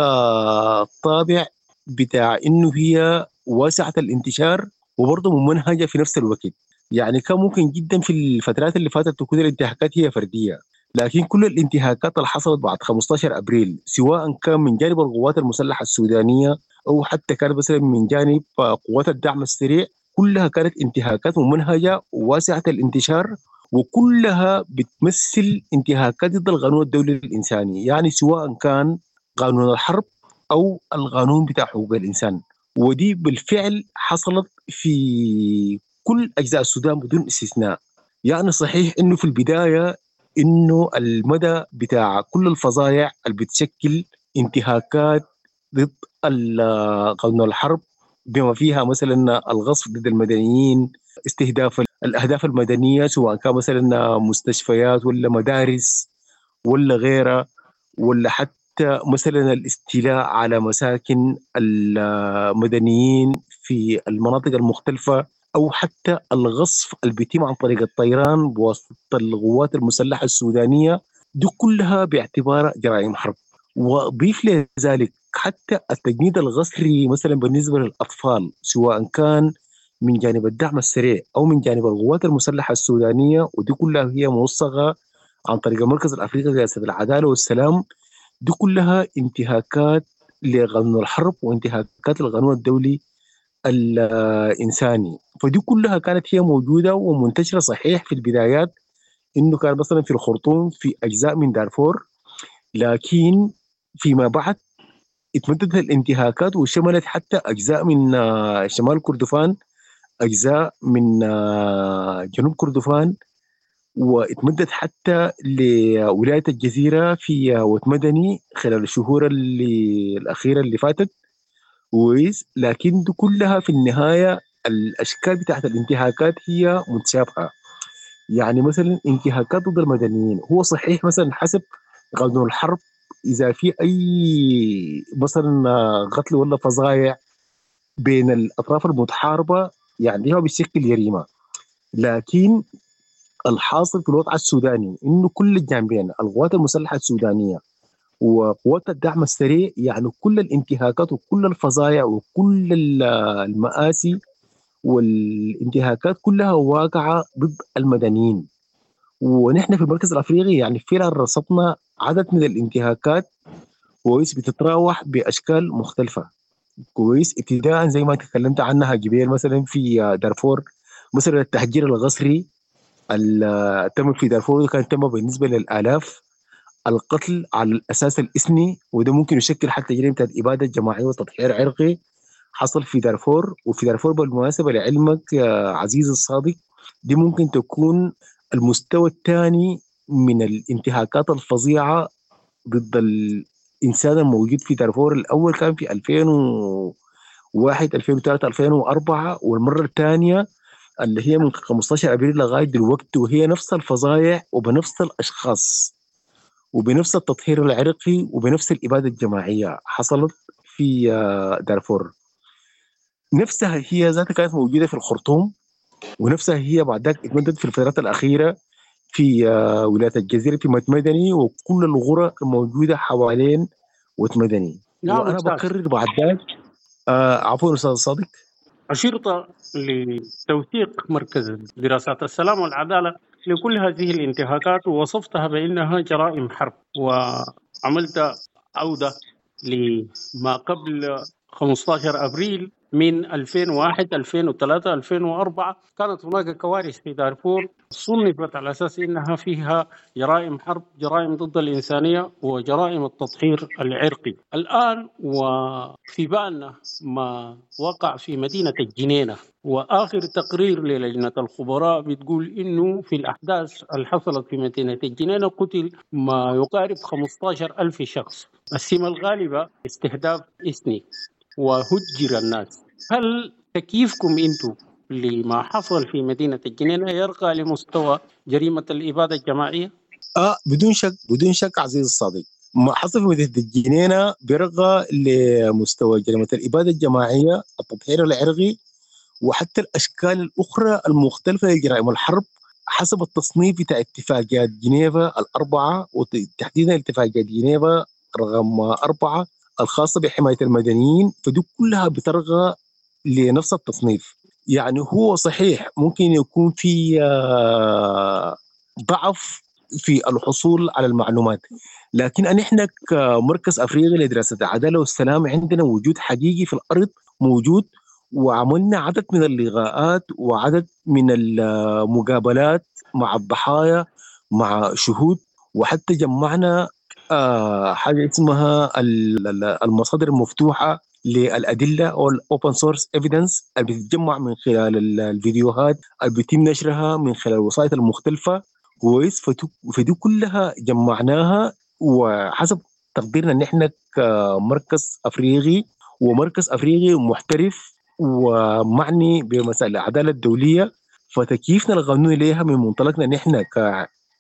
طابع بتاع إنه هي واسعة الانتشار وبرضه ممنهجة في نفس الوقت. يعني كان ممكن جدا في الفترات اللي فاتت تكون الانتهاكات هي فردية، لكن كل الانتهاكات اللي حصلت بعد خمسة عشر أبريل سواء كان من جانب القوات المسلحة السودانية أو حتى كان مثلا من جانب قوات الدعم السريع، كلها كانت انتهاكات ممنهجة وواسعة الانتشار، وكلها بتمثل انتهاكات ضد القانون الدولي الإنساني، يعني سواء كان قانون الحرب أو القانون بتاع حقوق الإنسان. ودي بالفعل حصلت في كل أجزاء السودان بدون استثناء. يعني صحيح إنه في البداية إنه المدى بتاع كل الفظائع اللي بتشكل انتهاكات ضد قانون الحرب بما فيها مثلا الغصب ضد المدنيين، استهداف الأهداف المدنية سواء كان مثلا مستشفيات ولا مدارس ولا غيرها، ولا حتى مثلا الاستيلاء على مساكن المدنيين في المناطق المختلفة، أو حتى الغصف اللي بيتم عن طريق الطيران بواسطة القوات المسلحة السودانية، دي كلها باعتبارها جرائم حرب. وضيف لذلك حتى التجنيد الغسري مثلا بالنسبة للأطفال سواء كان من جانب الدعم السريع أو من جانب القوات المسلحة السودانية، ودي كلها هي موثقة عن طريق المركز الأفريقي لرئاسة العدالة والسلام، دي كلها انتهاكات لقانون الحرب وانتهاكات القانون الدولي الإنساني. فدي كلها كانت هي موجودة ومنتشرة. صحيح في البدايات إنه كان مثلا في الخرطوم في أجزاء من دارفور، لكن فيما بعد اتمددت الانتهاكات وشملت حتى أجزاء من شمال كردفان، أجزاء من جنوب كردفان، واتمدت حتى لولاية الجزيرة في وتمدني خلال الشهور اللي الأخيرة اللي فاتت. كويس، لكن دي كلها في النهاية الأشكال بتاعت الانتهاكات هي متشابهة. يعني مثلا انتهاكات ضد المدنيين، هو صحيح مثلا حسب قانون الحرب إذا في أي مثلا قتل ولا فظائع بين الأطراف المتحاربة يعني هو بيشكل جريمة، لكن الحاصل في الوضع السوداني إنه كل الجانبين القوات المسلحة السودانية وقوات الدعم السريع يعني كل الانتهاكات وكل الفظائع وكل المآسي والانتهاكات كلها واقعة ضد المدنيين. ونحن في المركز الأفريقي يعني فعلا رصدنا عدد من الانتهاكات كويس بتتراوح بأشكال مختلفة. كويس، ابتداء زي ما تكلمت عنها جبيل مثلا في دارفور، مثلا التهجير الغسري اللي تم في دارفور كان تم بالنسبة للآلاف، القتل على الأساس الإثني وده ممكن يشكل حتى جريمة إبادة جماعية وتطهير عرقي حصل في دارفور. وفي دارفور بالمناسبة لعلمك يا عزيز الصادق دي ممكن تكون المستوى الثاني من الانتهاكات الفظيعة ضد الإنسان الموجود في دارفور. الأول كان في ألفين وواحد ألفين وثلاثة ألفين وأربعة، والمرة الثانية اللي هي من خمسة عشر أبريل لغاية دلوقتي، وهي نفس الفظائع وبنفس الأشخاص وبنفس التطهير العرقي وبنفس الإبادة الجماعية حصلت في دارفور. نفسها هي ذاتها كانت موجودة في الخرطوم، ونفسها هي بعد ذلك اتمددت في الفترات الأخيرة في ولاية الجزيرة في مدني وكل الغرى الموجودة حوالين وتمدني. نعم، وأنا بكرر بعد ذلك آه عفوا أستاذ صادق، أشرت لتوثيق مركز دراسات السلام والعدالة لكل هذه الانتهاكات ووصفتها بأنها جرائم حرب، وعملت عودة لما قبل خمسة عشر أبريل من ألفين وواحد ألفين وثلاثة ألفين وأربعة. كانت هناك كوارث في دارفور صنفت على أساس أنها فيها جرائم حرب، جرائم ضد الإنسانية، وجرائم التطهير العرقي. الآن وفي بالنا ما وقع في مدينة الجنينة، وآخر تقرير للجنة الخبراء بتقول إنه في الأحداث اللي حصلت في مدينة الجنينة قتل ما يقارب خمسة عشر ألف شخص، السمة الغالبة استهداف إثني، وهجر الناس. هل تكييفكم أنتم لما حصل في مدينة الجنينة يرقى لمستوى جريمة الإبادة الجماعية؟ آه بدون شك، بدون شك عزيز الصديق، ما حصل في مدينة الجنينة بيرقى لمستوى جريمة الإبادة الجماعية، التطهير العرقي، وحتى الأشكال الأخرى المختلفة لجرائم الحرب حسب التصنيف بتاع اتفاقيات جنيفا الأربعة، وتحديدا اتفاقيات جنيفا رقم أربعة الخاصة بحماية المدنيين. فدي كلها بترغى لنفس التصنيف. يعني هو صحيح ممكن يكون في ضعف في الحصول على المعلومات، لكن نحن كمركز أفريقي لدراسة العدالة والسلام عندنا وجود حقيقي في الأرض موجود، وعملنا عدد من اللقاءات وعدد من المقابلات مع الضحايا، مع شهود، وحتى جمعنا حاجة اسمها المصادر المفتوحة للأدلة أو ال Open Source Evidence اللي بتتجمع من خلال الفيديوهات اللي بيتم نشرها من خلال الوسائط المختلفة. كويس، فدي كلها جمعناها، وحسب تقديرنا ان احنا كمركز افريقي ومركز افريقي محترف ومعني بمسائل العدالة الدولية، فتكييفنا القانوني ليها من منطلقنا ان احنا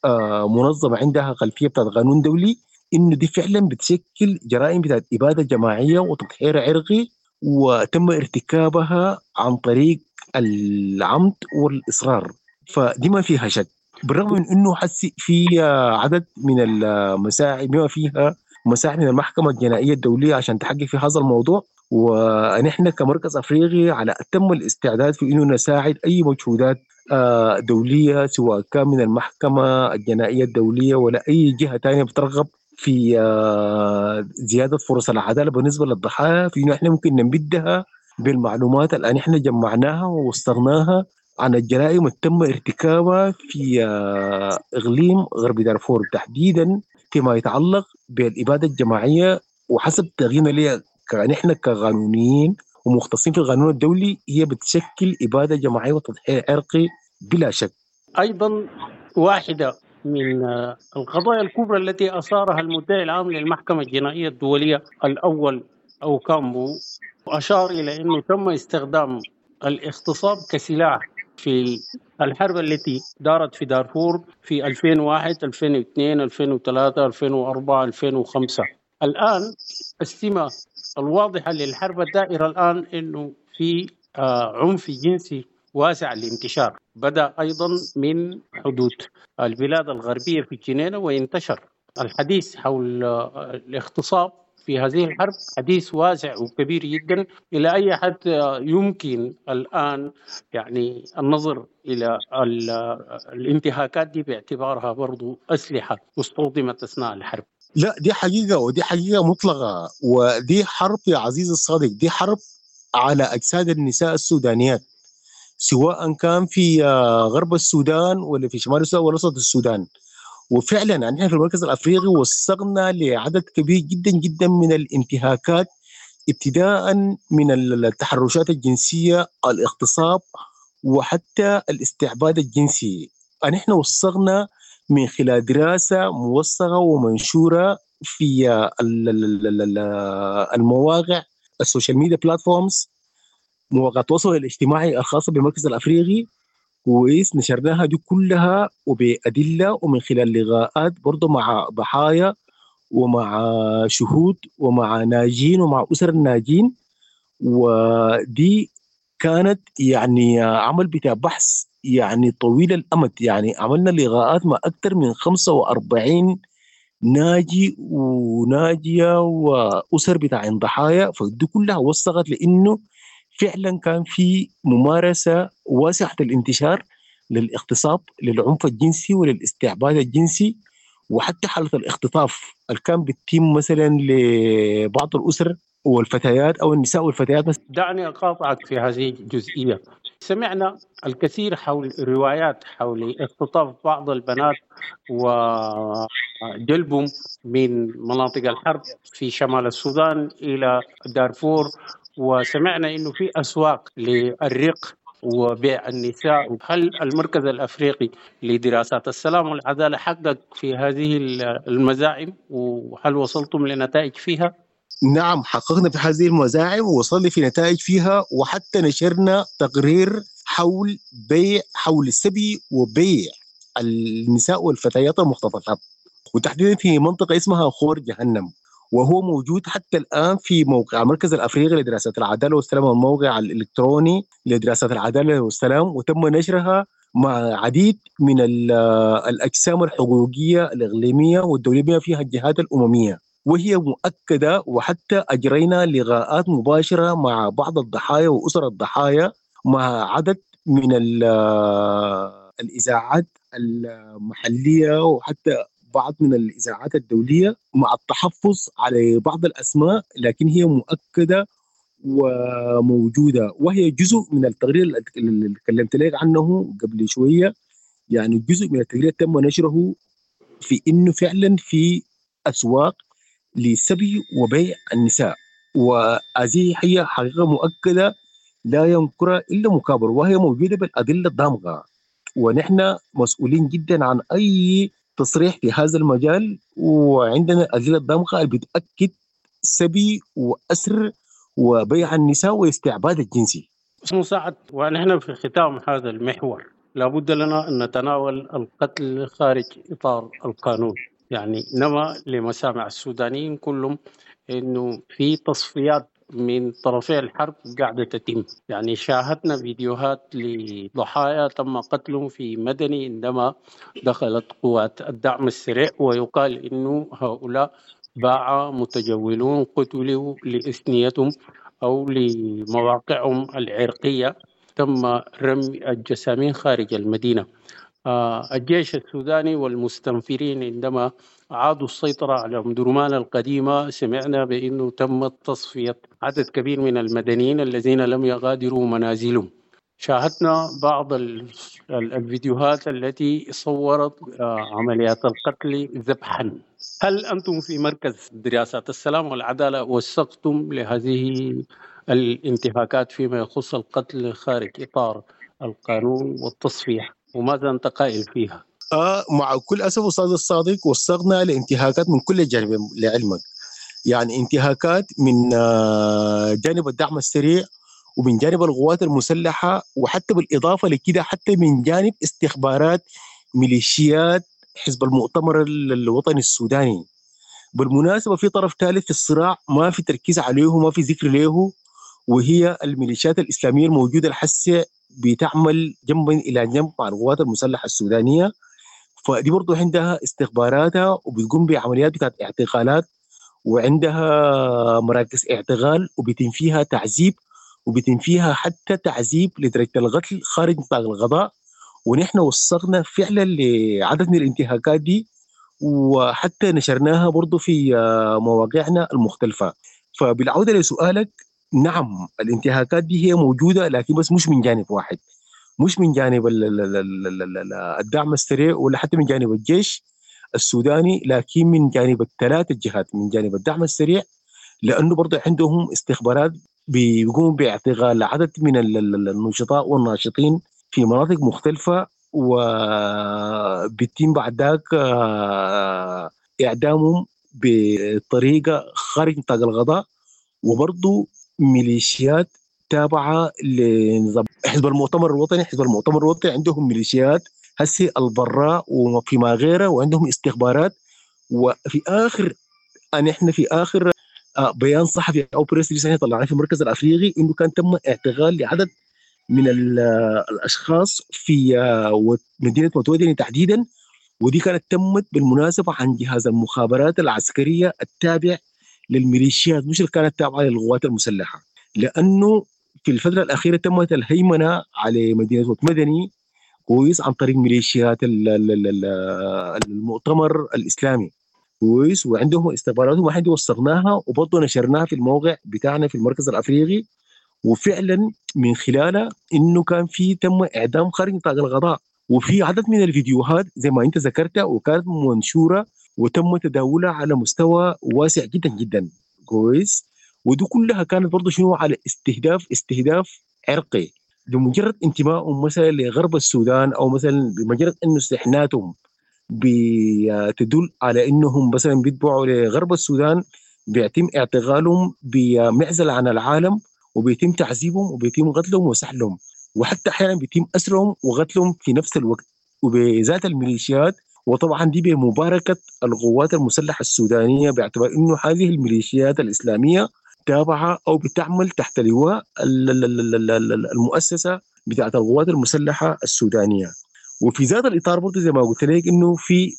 كمنظمه عندها خلفية بتاعت قانون دولي، انه دي فعلا بتشكل جرائم بتاعت ابادة جماعية وتطهير عرقي، وتم ارتكابها عن طريق العمد والاصرار، فدي ما فيها شك. بالرغم من انه حسي في عدد من المساعي بما فيها مساعي من المحكمة الجنائية الدولية عشان تحقق في هذا الموضوع، ونحن كمركز افريقي على اتم الاستعداد في انه نساعد اي مجهودات دولية، سواء كان من المحكمة الجنائية الدولية ولا اي جهة ثانية بترغب في زيادة فرص العدالة بالنسبة للضحايا، في انه احنا ممكن نمدها بالمعلومات اللي احنا جمعناها ووثقناها عن الجرائم اللي تم ارتكابها في إقليم غرب دارفور، تحديدا فيما يتعلق بالإبادة الجماعية. وحسب تقييمنا لها نحن كقانونيين ومختصين في القانون الدولي، هي بتشكل إبادة جماعية وتضحية عرقي بلا شك. أيضا واحدة من القضايا الكبرى التي أثارها المدعي العام للمحكمة الجنائية الدولية الأول أوكامبو، أشار إلى أنه تم استخدام الاغتصاب كسلاح في الحرب التي دارت في دارفور في ألفين وواحد، ألفين واثنين، ألفين وثلاثة، ألفين وأربعة، ألفين وخمسة. الآن السمة الواضحة للحرب الدائرة الآن أنه في عنف جنسي واسع الانتشار، بدأ أيضا من حدود البلاد الغربية في الجنينة وانتشر. الحديث حول الاغتصاب في هذه الحرب حديث واسع وكبير جدا، إلى أي حد يمكن الآن يعني النظر إلى الانتهاكات دي باعتبارها برضو أسلحة استخدمت أثناء الحرب؟ لا، دي حقيقة، ودي حقيقة مطلقة، ودي حرب يا عزيز الصادق، دي حرب على أجساد النساء السودانيات، سواء كان في غرب السودان ولا في شمال السودان ولا وسط السودان. وفعلا نحن في المركز الافريقي وثقنا لعدد كبير جدا جدا من الانتهاكات، ابتداء من التحرشات الجنسية، الاغتصاب، وحتى الاستعباد الجنسي. نحن وثقنا من خلال دراسة موثقة ومنشوره في المواقع ال social media platforms، مواقع التواصل الاجتماعي الخاصة بالمركز الافريقي. كويس، نشرناها دي كلها وبأدلة، ومن خلال لقاءات برضو مع ضحايا ومع شهود ومع ناجين ومع أسر الناجين. ودي كانت يعني عمل بتاع بحث يعني طويل الأمد، يعني عملنا لقاءات مع أكثر من خمسة وأربعين ناجي وناجية وأسر بتاع ضحايا، فدي كلها وثقت لأنه فعلا كان في ممارسة واسعة الانتشار للاغتصاب، للعنف الجنسي وللاستعباد الجنسي، وحتى حالة الاختطاف اللي كان بتتم مثلا لبعض الأسر والفتيات أو النساء والفتيات. دعني أقاطعك في هذه الجزئية. سمعنا الكثير حول روايات حول اختطاف بعض البنات وجلبهم من مناطق الحرب في شمال السودان إلى دارفور، وسمعنا إنه في أسواق للرق وبيع النساء. هل المركز الأفريقي لدراسات السلام والعدالة حقق في هذه المزاعم، وهل وصلتم لنتائج فيها؟ نعم، حققنا في هذه المزاعم ووصلنا في نتائج فيها، وحتى نشرنا تقرير حول بيع حول السبي وبيع النساء والفتيات المختطفات، وتحديدا في منطقة اسمها خور جهنم، وهو موجود حتى الآن في موقع المركز الأفريقي لدراسات العدالة والسلام، الموقع الإلكتروني لدراسات العدالة والسلام، وتم نشرها مع عديد من الأجسام الحقوقية الإقليمية والدولية بما فيها الجهات الأممية، وهي مؤكدة. وحتى أجرينا لقاءات مباشرة مع بعض الضحايا وأسر الضحايا، مع عدد من الإذاعات المحلية وحتى بعض من الإذاعات الدولية، مع التحفظ على بعض الأسماء، لكن هي مؤكدة وموجودة، وهي جزء من التقرير اللي تكلمت لك عنه قبل شوية. يعني جزء من التقرير تم نشره في إنه فعلا في أسواق لسبي وبيع النساء، وهذه هي حقيقة مؤكدة لا ينكرها إلا مكابر، وهي موجودة بالأدلة الدامغة، ونحن مسؤولين جدا عن أي تصريح في هذا المجال، وعندنا الأدلة الدامغة اللي بتأكد سبي وأسر وبيع النساء واستعباد الجنسي. مساعد، ونحن في ختام هذا المحور لابد لنا أن نتناول القتل خارج إطار القانون. يعني نما لمسامع السودانيين كلهم أنه في تصفيات من طرفي الحرب قاعدة تتم. يعني شاهدنا فيديوهات لضحايا تم قتلهم في مدني عندما دخلت قوات الدعم السريع، ويقال إنه هؤلاء باع متجولون قتلوا لإثنيتهم أو لمواقعهم العرقية، تم رمي الجسامين خارج المدينة. الجيش السوداني والمستنفرين عندما عادوا السيطرة على أم درمان القديمة سمعنا بأنه تم تصفية عدد كبير من المدنيين الذين لم يغادروا منازلهم. شاهدنا بعض الفيديوهات التي صورت عمليات القتل ذبحا. هل أنتم في مركز دراسات السلام والعدالة وثقتم لهذه الانتهاكات فيما يخص القتل خارج إطار القانون والتصفية، وماذا أنت قائل فيها؟ آه مع كل أسف أستاذ الصادق وثقنا لانتهاكات من كل الجانبين لعلمك، يعني انتهاكات من جانب الدعم السريع ومن جانب القوات المسلحة، وحتى بالإضافة لكده حتى من جانب استخبارات ميليشيات حزب المؤتمر الوطني السوداني. بالمناسبة في طرف ثالث في الصراع ما في تركيز عليه وما في ذكر له، وهي الميليشيات الإسلامية الموجودة الحسة بتعمل جنبا إلى جنب مع القوات المسلحة السودانية، فدي برضو عندها استخباراتها وبتقوم بعمليات بتاعت اعتقالات، وعندها مراكز اعتقال وبيتم فيها تعذيب، وبيتم فيها حتى تعذيب لدرجة القتل خارج نطاق القضاء. ونحن وثقنا فعلا لعدد من الانتهاكات دي، وحتى نشرناها برضو في مواقعنا المختلفة. فبالعودة لسؤالك، نعم الانتهاكات دي هي موجودة، لكن بس مش من جانب واحد، مش من جانب الدعم السريع ولا حتى من جانب الجيش السوداني، لكن من جانب الثلاث الجهات، من جانب الدعم السريع لأنه برضو عندهم استخبارات بيقوموا باعتقال عدد من النشطاء والناشطين في مناطق مختلفة، وبيتم بعد ذاك إعدامهم بطريقة خارج نطاق القضاء. وبرضو ميليشيات تابعة لنظام حزب المؤتمر الوطني، حزب المؤتمر الوطني عندهم ميليشيات هسي البراء وفيما غيره، وعندهم استخبارات. وفي آخر أن إحنا في آخر بيان صحفي أو press release طلعناه في المركز الأفريقي إنه كان تم اعتقال لعدد من الأشخاص في مدينة متودني تحديدا، ودي كانت تمت بالمناسبة عن جهاز المخابرات العسكرية التابع للميليشيات، مش اللي كانت تابعة للقوات المسلحة، لأنه في الفترة الأخيرة تمت الهيمنة على مدينة مدني كويس عن طريق ميليشيات المؤتمر الإسلامي كويس، وعندهم استخباراتهم واحد وثقناها وبرضه نشرناها في الموقع بتاعنا في المركز الأفريقي. وفعلا من خلالها انه كان في تم اعدام خارج نطاق القضاء، وفي عدد من الفيديوهات زي ما انت ذكرتها وكانت منشوره وتم تداولها على مستوى واسع جدا جدا كويس، ودي كلها كانت برضه شنو على استهداف استهداف عرقي بمجرد انتمائهم مثلا لغرب السودان، او مثلا بمجرد انه استحناتهم بتدل على انهم مثلا بيتبعوا لغرب السودان بيتم اعتقالهم بمعزل عن العالم، وبيتم تعذيبهم وبيتم قتلهم وسحلهم، وحتى احيانا بيتم اسرهم وقتلهم في نفس الوقت وبذات الميليشيات. وطبعا دي بمباركه القوات المسلحه السودانيه، باعتبار انه هذه الميليشيات الاسلاميه تابعه او بتعمل تحت لواء المؤسسه بتاعه القوات المسلحه السودانيه. وفي ذات الاطار برضه زي ما قلت لك انه في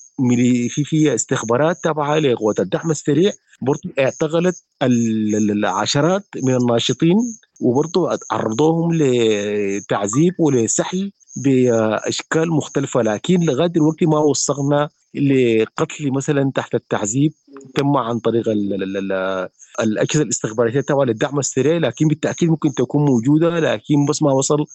في في استخبارات تابعه لقوات الدعم السريع برضه اعتقلت العشرات من الناشطين، وبرضه عرضوهم لتعذيب ولسحل بأشكال مختلفة، لكن لغاية دلوقتي ما وصلنا لقتل مثلا تحت التعذيب تم عن طريق ال ال ال الأجهزة الاستخباراتية التابعة للدعم السريع، لكن بالتأكيد ممكن تكون موجودة، لكن بس ما وصل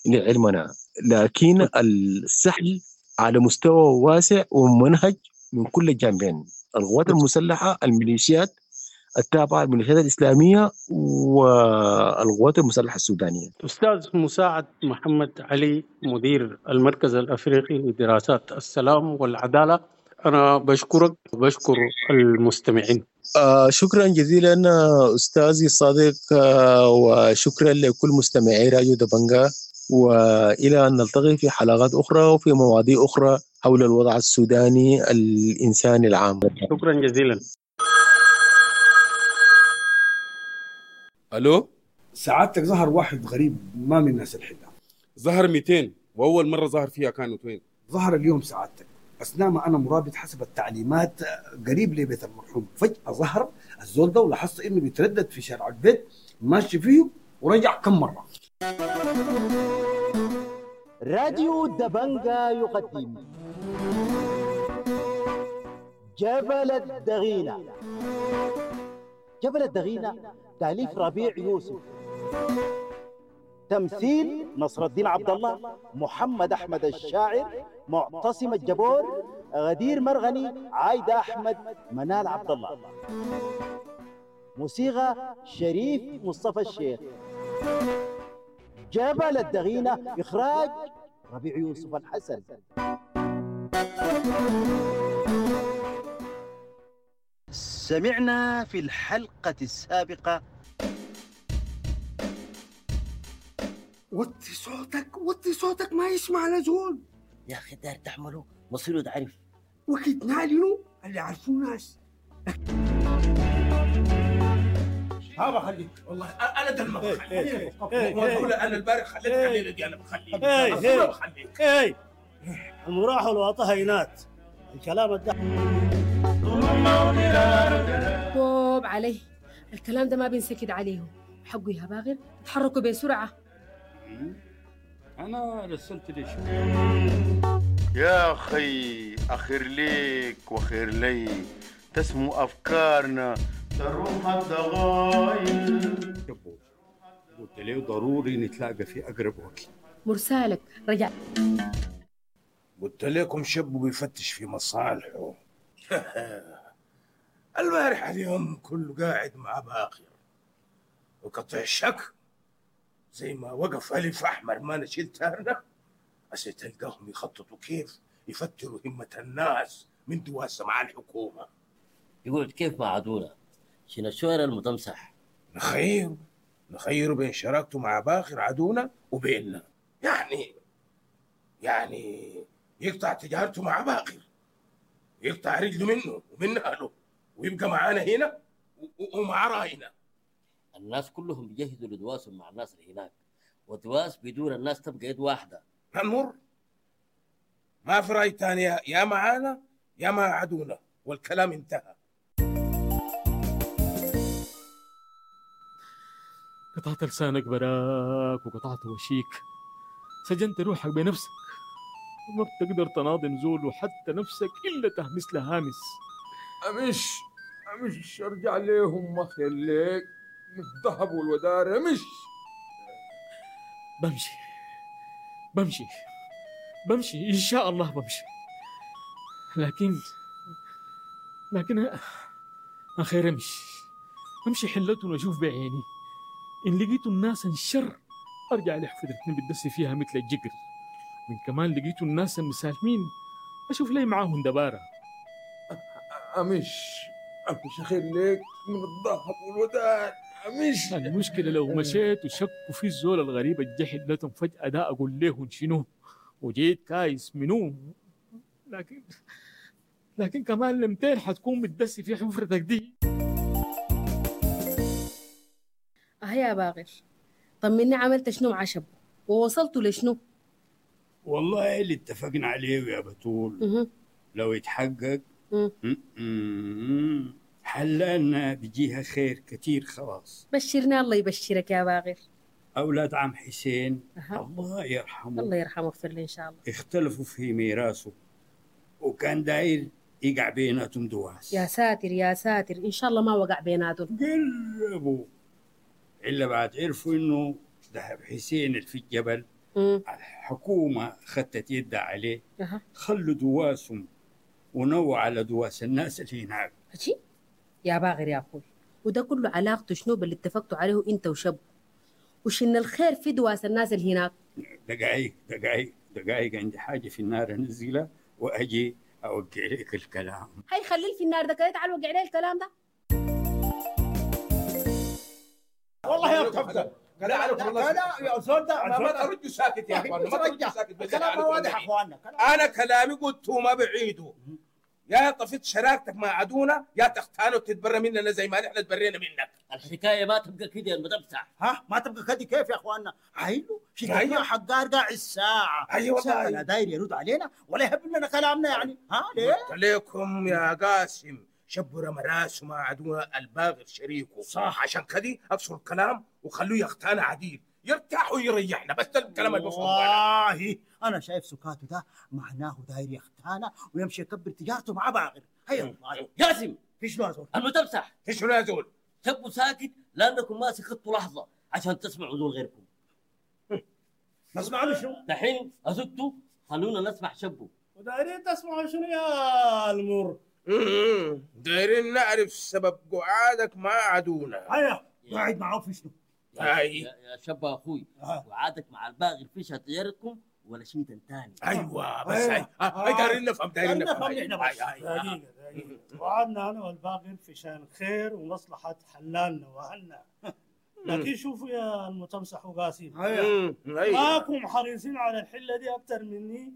لعلمنا. لكن السحل على مستوى واسع ومنهج من كل الجانبين، القوات المسلحة، الميليشيات التابعة الميليشيات الإسلامية، والقوات المسلحة السودانية. أستاذ مساعد محمد علي، مدير المركز الأفريقي لدراسات السلام والعدالة، أنا بشكرك وبشكر المستمعين. آه شكرا جزيلا أستاذي الصادق، آه وشكرا لكل مستمعي راديو دبنجا، وإلى أن نلتقي في حلقات أخرى وفي مواضيع أخرى حول الوضع السوداني الإنساني العام. شكرا جزيلا. ألو، سعادتك ظهر واحد غريب ما من الناس الحلة. ظهر مئتين، وأول مرة ظهر فيها كانت وين؟ ظهر اليوم سعادتك أثناء ما أنا مرابط حسب التعليمات قريب لبيت المرحوم، فجأة ظهر الزول ده ولاحظت إنه بيتردد في شارع البيت ماشي فيه ورجع كم مرة. راديو دبنجا يقدم جبل الدغينة. جبل الدغينة تأليف ربيع يوسف، تمثيل نصر الدين عبد الله، محمد أحمد الشاعر، معتصم الجبور، غدير مرغني، عايدة أحمد، منال عبد الله. موسيقى شريف مصطفى الشيخ. جبل الدغينة إخراج ربيع يوسف الحسن. سمعنا في الحلقة السابقة. وطي صوتك، وطي صوتك ما يسمع لزول. يا أخي دار تعمله مصيره تعرف وقت نعلنه اللي عرفوه ناس. ها بخليك والله انا ده ما بخليك. انا البارح خليتك الليله دي انا بخليك. انا بخليك. اي المراح والواطه هينات الكلام ده طوب عليه الكلام ده ما بينسكت عليه. حقه يا باغر تحركوا بسرعه. انا رسلت لي شو يا اخي، اخير ليك وخير لي تسمو افكارنا تروح الضغايل. قلت له ضروري نتلاقى في اقرب وقت. مرسالك رجع. قلت لكم شاب بيفتش في مصالحه. البارح اليوم كله قاعد مع باخر وقطع الشك زي ما وقف ألف أحمر ما نشيل تارنا. بس تلقاهم يخططوا كيف يفتروا همة الناس من دواسة مع الحكومة. يقول كيف مع عدونا شنو الشوارع المتمسح؟ نخير نخير بين شراكته مع باخر عدونا وبيننا. يعني يعني يقطع تجارته مع باخر، يقطع رجله منه ومن أهله ويبقى معانا هنا ومع رأينا. الناس كلهم بيجهزوا لدواسهم مع الناس اللي هناك، ودواس بدون الناس تبقى يد واحدة. هنمر ما في رأي تاني، يا معانا يا مع عدونا، والكلام انتهى. قطعت لسانك براك وقطعت وشيك، سجنت روحك بنفسك، ما بتقدر تناضم زول وحتى نفسك إلا تهمس لهامس. أمش أمش أرجع ليهم ما خليك من الذهب والودار. أمش بمشي بمشي بمشي إن شاء الله بمشي، لكن لكن أخير أمشي أمشي حلتهم وأشوف بعيني. إن لقيتوا الناس انشر أرجع لحفرتني بتدسي فيها مثل الجقر، وإن كمان لقيتوا الناس مسالمين أشوف لي معاهم دبارة. أمش أمش أخير ليك من الذهب والودار. أمش المشكلة لو مشيت وشكوا في الزول الغريب الجحد لتم فجأة ده أقول لهم شنو وجيت كايس منو. لكن لكن كمان لمتين حتكون متدسي في حفرتك دي. أه يا باغر، طمني عملت شنو مع شبو ووصلتوا لشنو؟ والله اللي اتفقنا عليه يا بتول لو يتحقق حلالنا بيجيها خير كتير. خلاص بشرنا، الله يبشرك يا باغر. أولاد عم حسين أها. الله يرحمه الله يرحمه ويغفر له ان شاء الله. اختلفوا في ميراثه، وكان داير يقع بيناتهم دواس. يا ساتر يا ساتر، ان شاء الله ما وقع بيناتهم. قربوا إلا بعد عرفوا إنه ذهب حسين اللي في الجبل مم. الحكومة خدت يدها عليه. أها. خلوا دواسهم ونووا على دواس الناس اللي هناك. ماشي يا باغر يا اخوي، وده كله علاقته شنو باللي اتفقتوا عليه انت وشب؟ وشن الخير في دواس الناس اللي هناك؟ دقايق دقايق دقايق، عندي حاجة في النار أنزلها وأجي أوقع لك الكلام. هاي خليه في النار ده كده، تعال وقع لي الكلام ده. والله يا تفضل. لا عليكم الله. لا يا زول ده ما تردوا ساكت يا اخوان، ما تردوا ساكت. بالله الكلام عليكم واضح يا النبي. اخواننا. انا كلامي قلته ما بعيدة. يا طفيت شراكتك مع عدونا يا تختانه وتتبرى مننا زي ما نحن تبرينا منك. الحكاية ما تبقى كده يا المدبسع. ها ما تبقى كده كيف يا اخواننا؟ عيلو شكلنا أيوة. حقار قاعد الساعة أيوة ساعة والله. لا داير يرد علينا ولا يهب لنا كلامنا يعني. ها ليه؟ قلت لكم يا قاسم شبوا رمى راسه مع عدونا الباغر شريكه صح، عشان كده اقصر الكلام وخلوه يختانا عديل، يرتاح ويريحنا. بس ده الكلام اللي بفهمه انا. والله انا شايف سكاته ده معناه داير يختانا ويمشي يكبر تجارته مع باغر. هيا والله. قاسم في شنو يا زول؟ المتمسح في شنو يا زول؟ تبقوا ساكت لانكم ما سكتوا لحظة عشان تسمعوا زول غيركم. نسمع له شنو؟ دحين اسكتوا خلونا نسمع شبو. ودايرين تسمعوا شنو يا المر؟ دايرين نعرف سبب قعادك مع عدونا. هيا قاعد معاه في شنو؟ هاي يا, يا شب اخوي، وعادك مع الباغي فيش تجارتكم ولا شيء ثاني. ايوه بس هاي هاي دايرين نفهم، دايرين نفهم. نفهم نحن بس. هاي هاي. دقيقة دقيقة، وعدنا أنا والباقر في شان خير ومصلحة حلالنا وأهلنا. لكن شوفوا يا المتمسح وقاسم، أمم، ايوه ماكم حريصين على الحلة دي أكتر مني،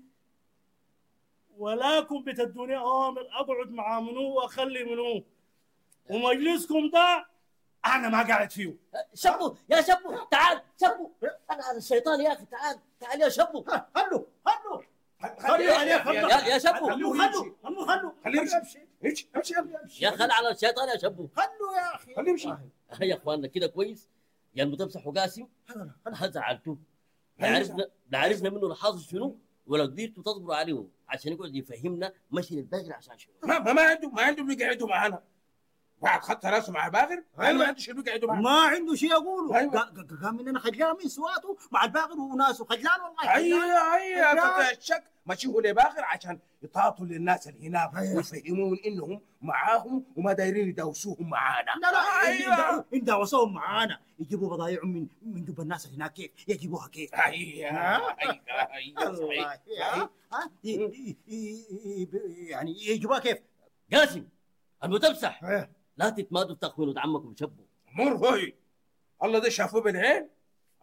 ولاكم بتدوني أوامر أقعد مع منو وأخلي منو، ومجلسكم ده أنا ما قاعد فيه. شبو يا شبو تعال شبو، انا على الشيطان يا اخي، تعال تعال يا شبو. خلوا خلوا خلوا عليه، خلوا يا يا شبو خلوا خلوا خلوا خلوا خليه يمشي، امشي امشي يلا. يا خل على الشيطان يا شبو. خلوا يا اخي خليه يمشي. يا اخواننا كده كويس يا المتمسح وقاسم، زعلتوه. لا عرفنا لا عرفنا منه الحاصل شنو ولا قدرتوا تصبروا عليه عشان يقعد يفهمنا مشي للباغر عشان شنو. ما ما ما عنده ما عنده بيقعدوا معانا. بعد خط راسه مع باغر، انا ما عنده شيء بيقعدوا معانا. ما عنده شيء يقوله. أيوة. قا- قام مننا خجلان من سواته مع الباغر وناسه، خجلان والله. ايوه ايوه خجلان. قطع الشك ماشي هو لباغر عشان يطاطوا للناس اللي هناك ويفهمون انهم معاهم وما دايرين يداوسوهم معانا. لا لا ايوه إن داوسوهم معانا يجيبوا بضايعهم من من جب الناس اللي هناك كيف يجيبوها كيف؟ ايوه ايوه ايوه الله صحيح ها ها ي- ي- ي- ي- يعني يجيبوها كيف؟ قاسم المتمسح إيه. لا تتمادوا تخونوا عمكم شبو. مر هوي الله ده شافوه بالعين،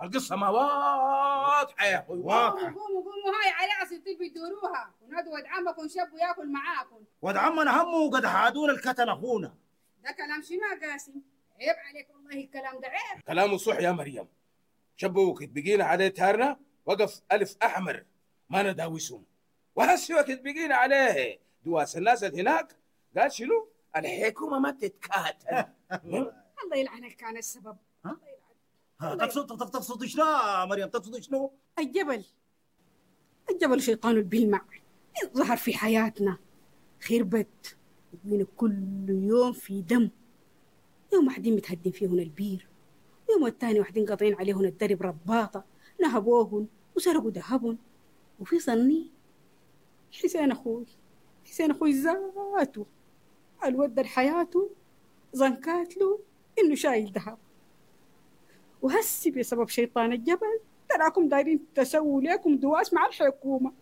القصة ما واضحة يا اخوي واضحة. قوموا قوموا قوموا، هاي على عصيتي بيدوروها ونادوا ود عمكم شبوا ياكل معاكم. ود عمنا همه قد حادونا الكتل اخونا. ده كلام شنو يا قاسم؟ عيب عليك والله الكلام ده عيب. كلامه صح يا مريم. شبوا وقت بقينا عليه تارنا وقف الف احمر ما نداوسهم، وهسي وقت بقينا عليه دواس الناس اللي هناك قال شنو؟ الحكومة ما تتكاتل. الله يلعنك كان السبب. ها؟ ها، تقصد تقصد تقصد شنو يا مريم؟ تقصد شنو؟ الجبل الجبل شيطان بيلمع ظهر في حياتنا خربت من كل يوم في دم. يوم واحدين متهدين فيهن البير، ويوم الثاني واحدين قاطعين عليهن الدرب رباطة نهبوهن وسرقوا ذهبهن. وفي صني حسين أخوي، حسين أخوي ذاته الود حياته زنكات له إنه شايل ذهب. وهسي بسبب شيطان الجبل تراكم دايرين تسووا ليكم دواس مع الحكومة.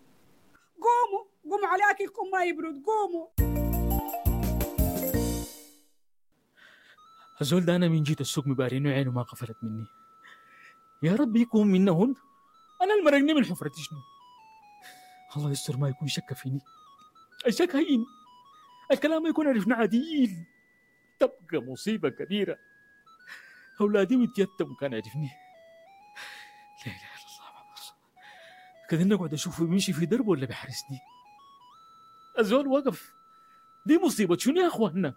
قوموا قوموا على أكلكم ما يبرد، قوموا. الزول ده أنا من جيت السوق مبارينه عينه ما قفلت مني. يا رب يكون منهن، أنا المرقني من حفرتي شنو؟ الله يستر ما يكون شك فيني. الشك هين، الكلام يكون عرفنا عديل، تبقى مصيبة كبيرة. أولادي ويتيتموا كان عرفني. لا إله إلا الله محمد رسول الله. كده نقعد أشوفه بيمشي في دربه ولا بيحرسني. الزول وقف، دي مصيبة شنو يا أخواننا؟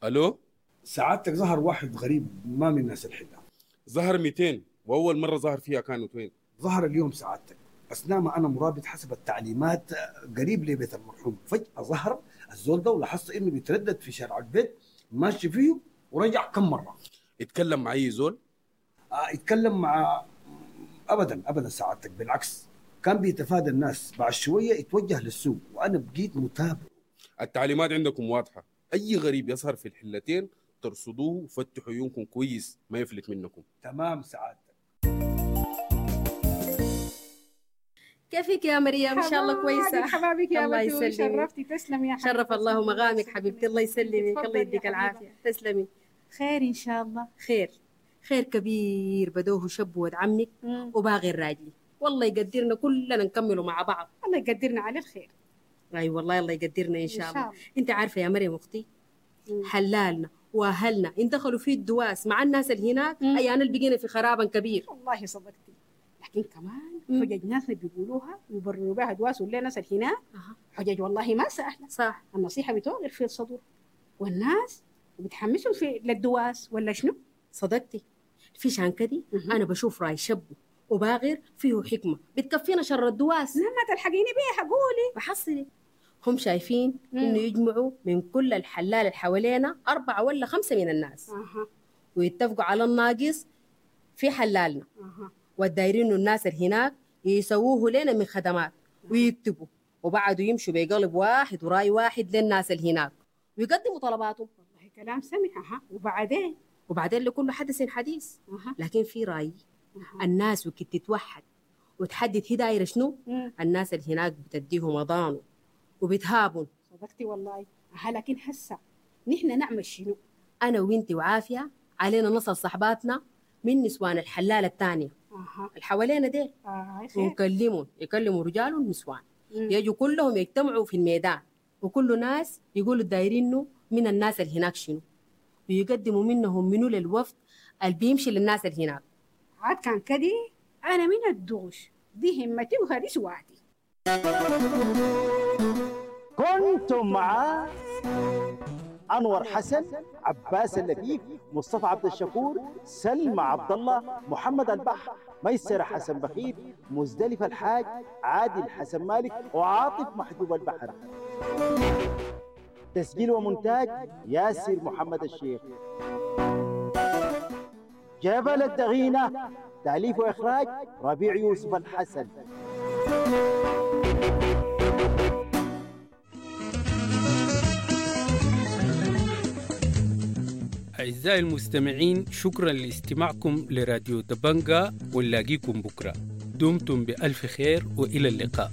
الو. سعادتك ظهر واحد غريب ما من ناس الحلة. ظهر مئتين واول مرة ظهر فيها كانت وين؟ ظهر اليوم سعادتك اثناء ما انا مرابط حسب التعليمات قريب لبيت المرحوم، فجاة ظهر الزول ده ولاحظت انه بيتردد في شارع البيت ماشي فيه ورجع كم مرة. اتكلم مع اي زول؟ آه اتكلم مع ابدا ابدا سعادتك، بالعكس كان بيتفادى الناس. بعد شوية اتوجه للسوق وانا بقيت متابع. التعليمات عندكم واضحة، اي غريب يظهر في الحلتين ترصدوه وفتحوا عيونكم كويس ما يفلت منكم. تمام سعادتك. كيفك يا مريم؟ ان شاء الله كويسة. حبابك يا الله بتول، يسلمك. شرفتي. تسلم يا حبيبتي. شرف الله مقامك حبيبتي، الله يسلمك، الله يديك العافية. تسلمي. خير ان شاء الله. خير خير كبير بدوه شب ود عمك وباغي الراجلي، والله يقدرنا كلنا نكمله مع بعض. الله يقدرنا على الخير. اي والله الله يقدرنا ان شاء إن الله. شاء الله. انت عارفه يا مريم اختي، حلالنا واهلنا ان دخلوا في الدواس مع الناس اللي هناك اي انا اللي بقينا في خرابا كبير. والله صدقتي، لكن كمان حجج ناسنا بيقولوها ويبرروا بها دواس ولا ناس اللي هناك حجج والله ما سهلة. صح. النصيحة بتوغر في الصدور والناس بتحمسهم في للدواس ولا شنو؟ صدقتي. في شان كدي انا بشوف راي شبه وباغر فيه حكمه بتكفينا شر الدواس. لما تلحقيني بيها قولي. بحصلي هم شايفين انه يجمعوا من كل الحلال اللي حوالينا اربعة ولا خمسة من الناس اها ويتفقوا على الناقص في حلالنا، اها والدايرين إنه الناس اللي هناك يسووه لنا من خدمات ويكتبوا، وبعدوا يمشوا بقلب واحد وراي واحد للناس اللي هناك ويقدموا طلباتهم. والله كلام سمح. اها وبعدين؟ وبعدين لكل حدث حديث. أها. لكن في راي الناس وكت تتوحد وتحدد هي دايرة شنو، الناس اللي هناك بتديهم اضانه وبتهابن. صدقتي والله. أها لكن هسه نحن نعمل شنو؟ انا وانتي وعافيه علينا نصل صحباتنا من نسوان الحلال الثانية اها اللي حوالينا ديل، آه خير. ونكلمهم، يكلموا رجال ونسوان، يجوا كلهم يجتمعوا في الميدان، وكل ناس يقولوا الدايرينه من الناس اللي هناك شنو، ويقدموا منهم منو للوفد اللي بيمشي للناس اللي هناك. عاد كان كدي انا من الدوش دي همتي وهذه سواتي. كنتم مع أنور حسن، عباس اللفيف، مصطفى عبد الشكور، سلمى عبد الله، محمد البحر، ميسر حسن بخيت، مزدلفة الحاج، عادل حسن مالك، وعاطف محجوب البحر. تسجيل ومونتاج ياسر محمد الشيخ. جبل الدغينة، تأليف وإخراج ربيع يوسف الحسن. أعزائي المستمعين، شكرا لاستماعكم لراديو دبنجا، ونلاقيكم بكرة. دمتم بألف خير وإلى اللقاء.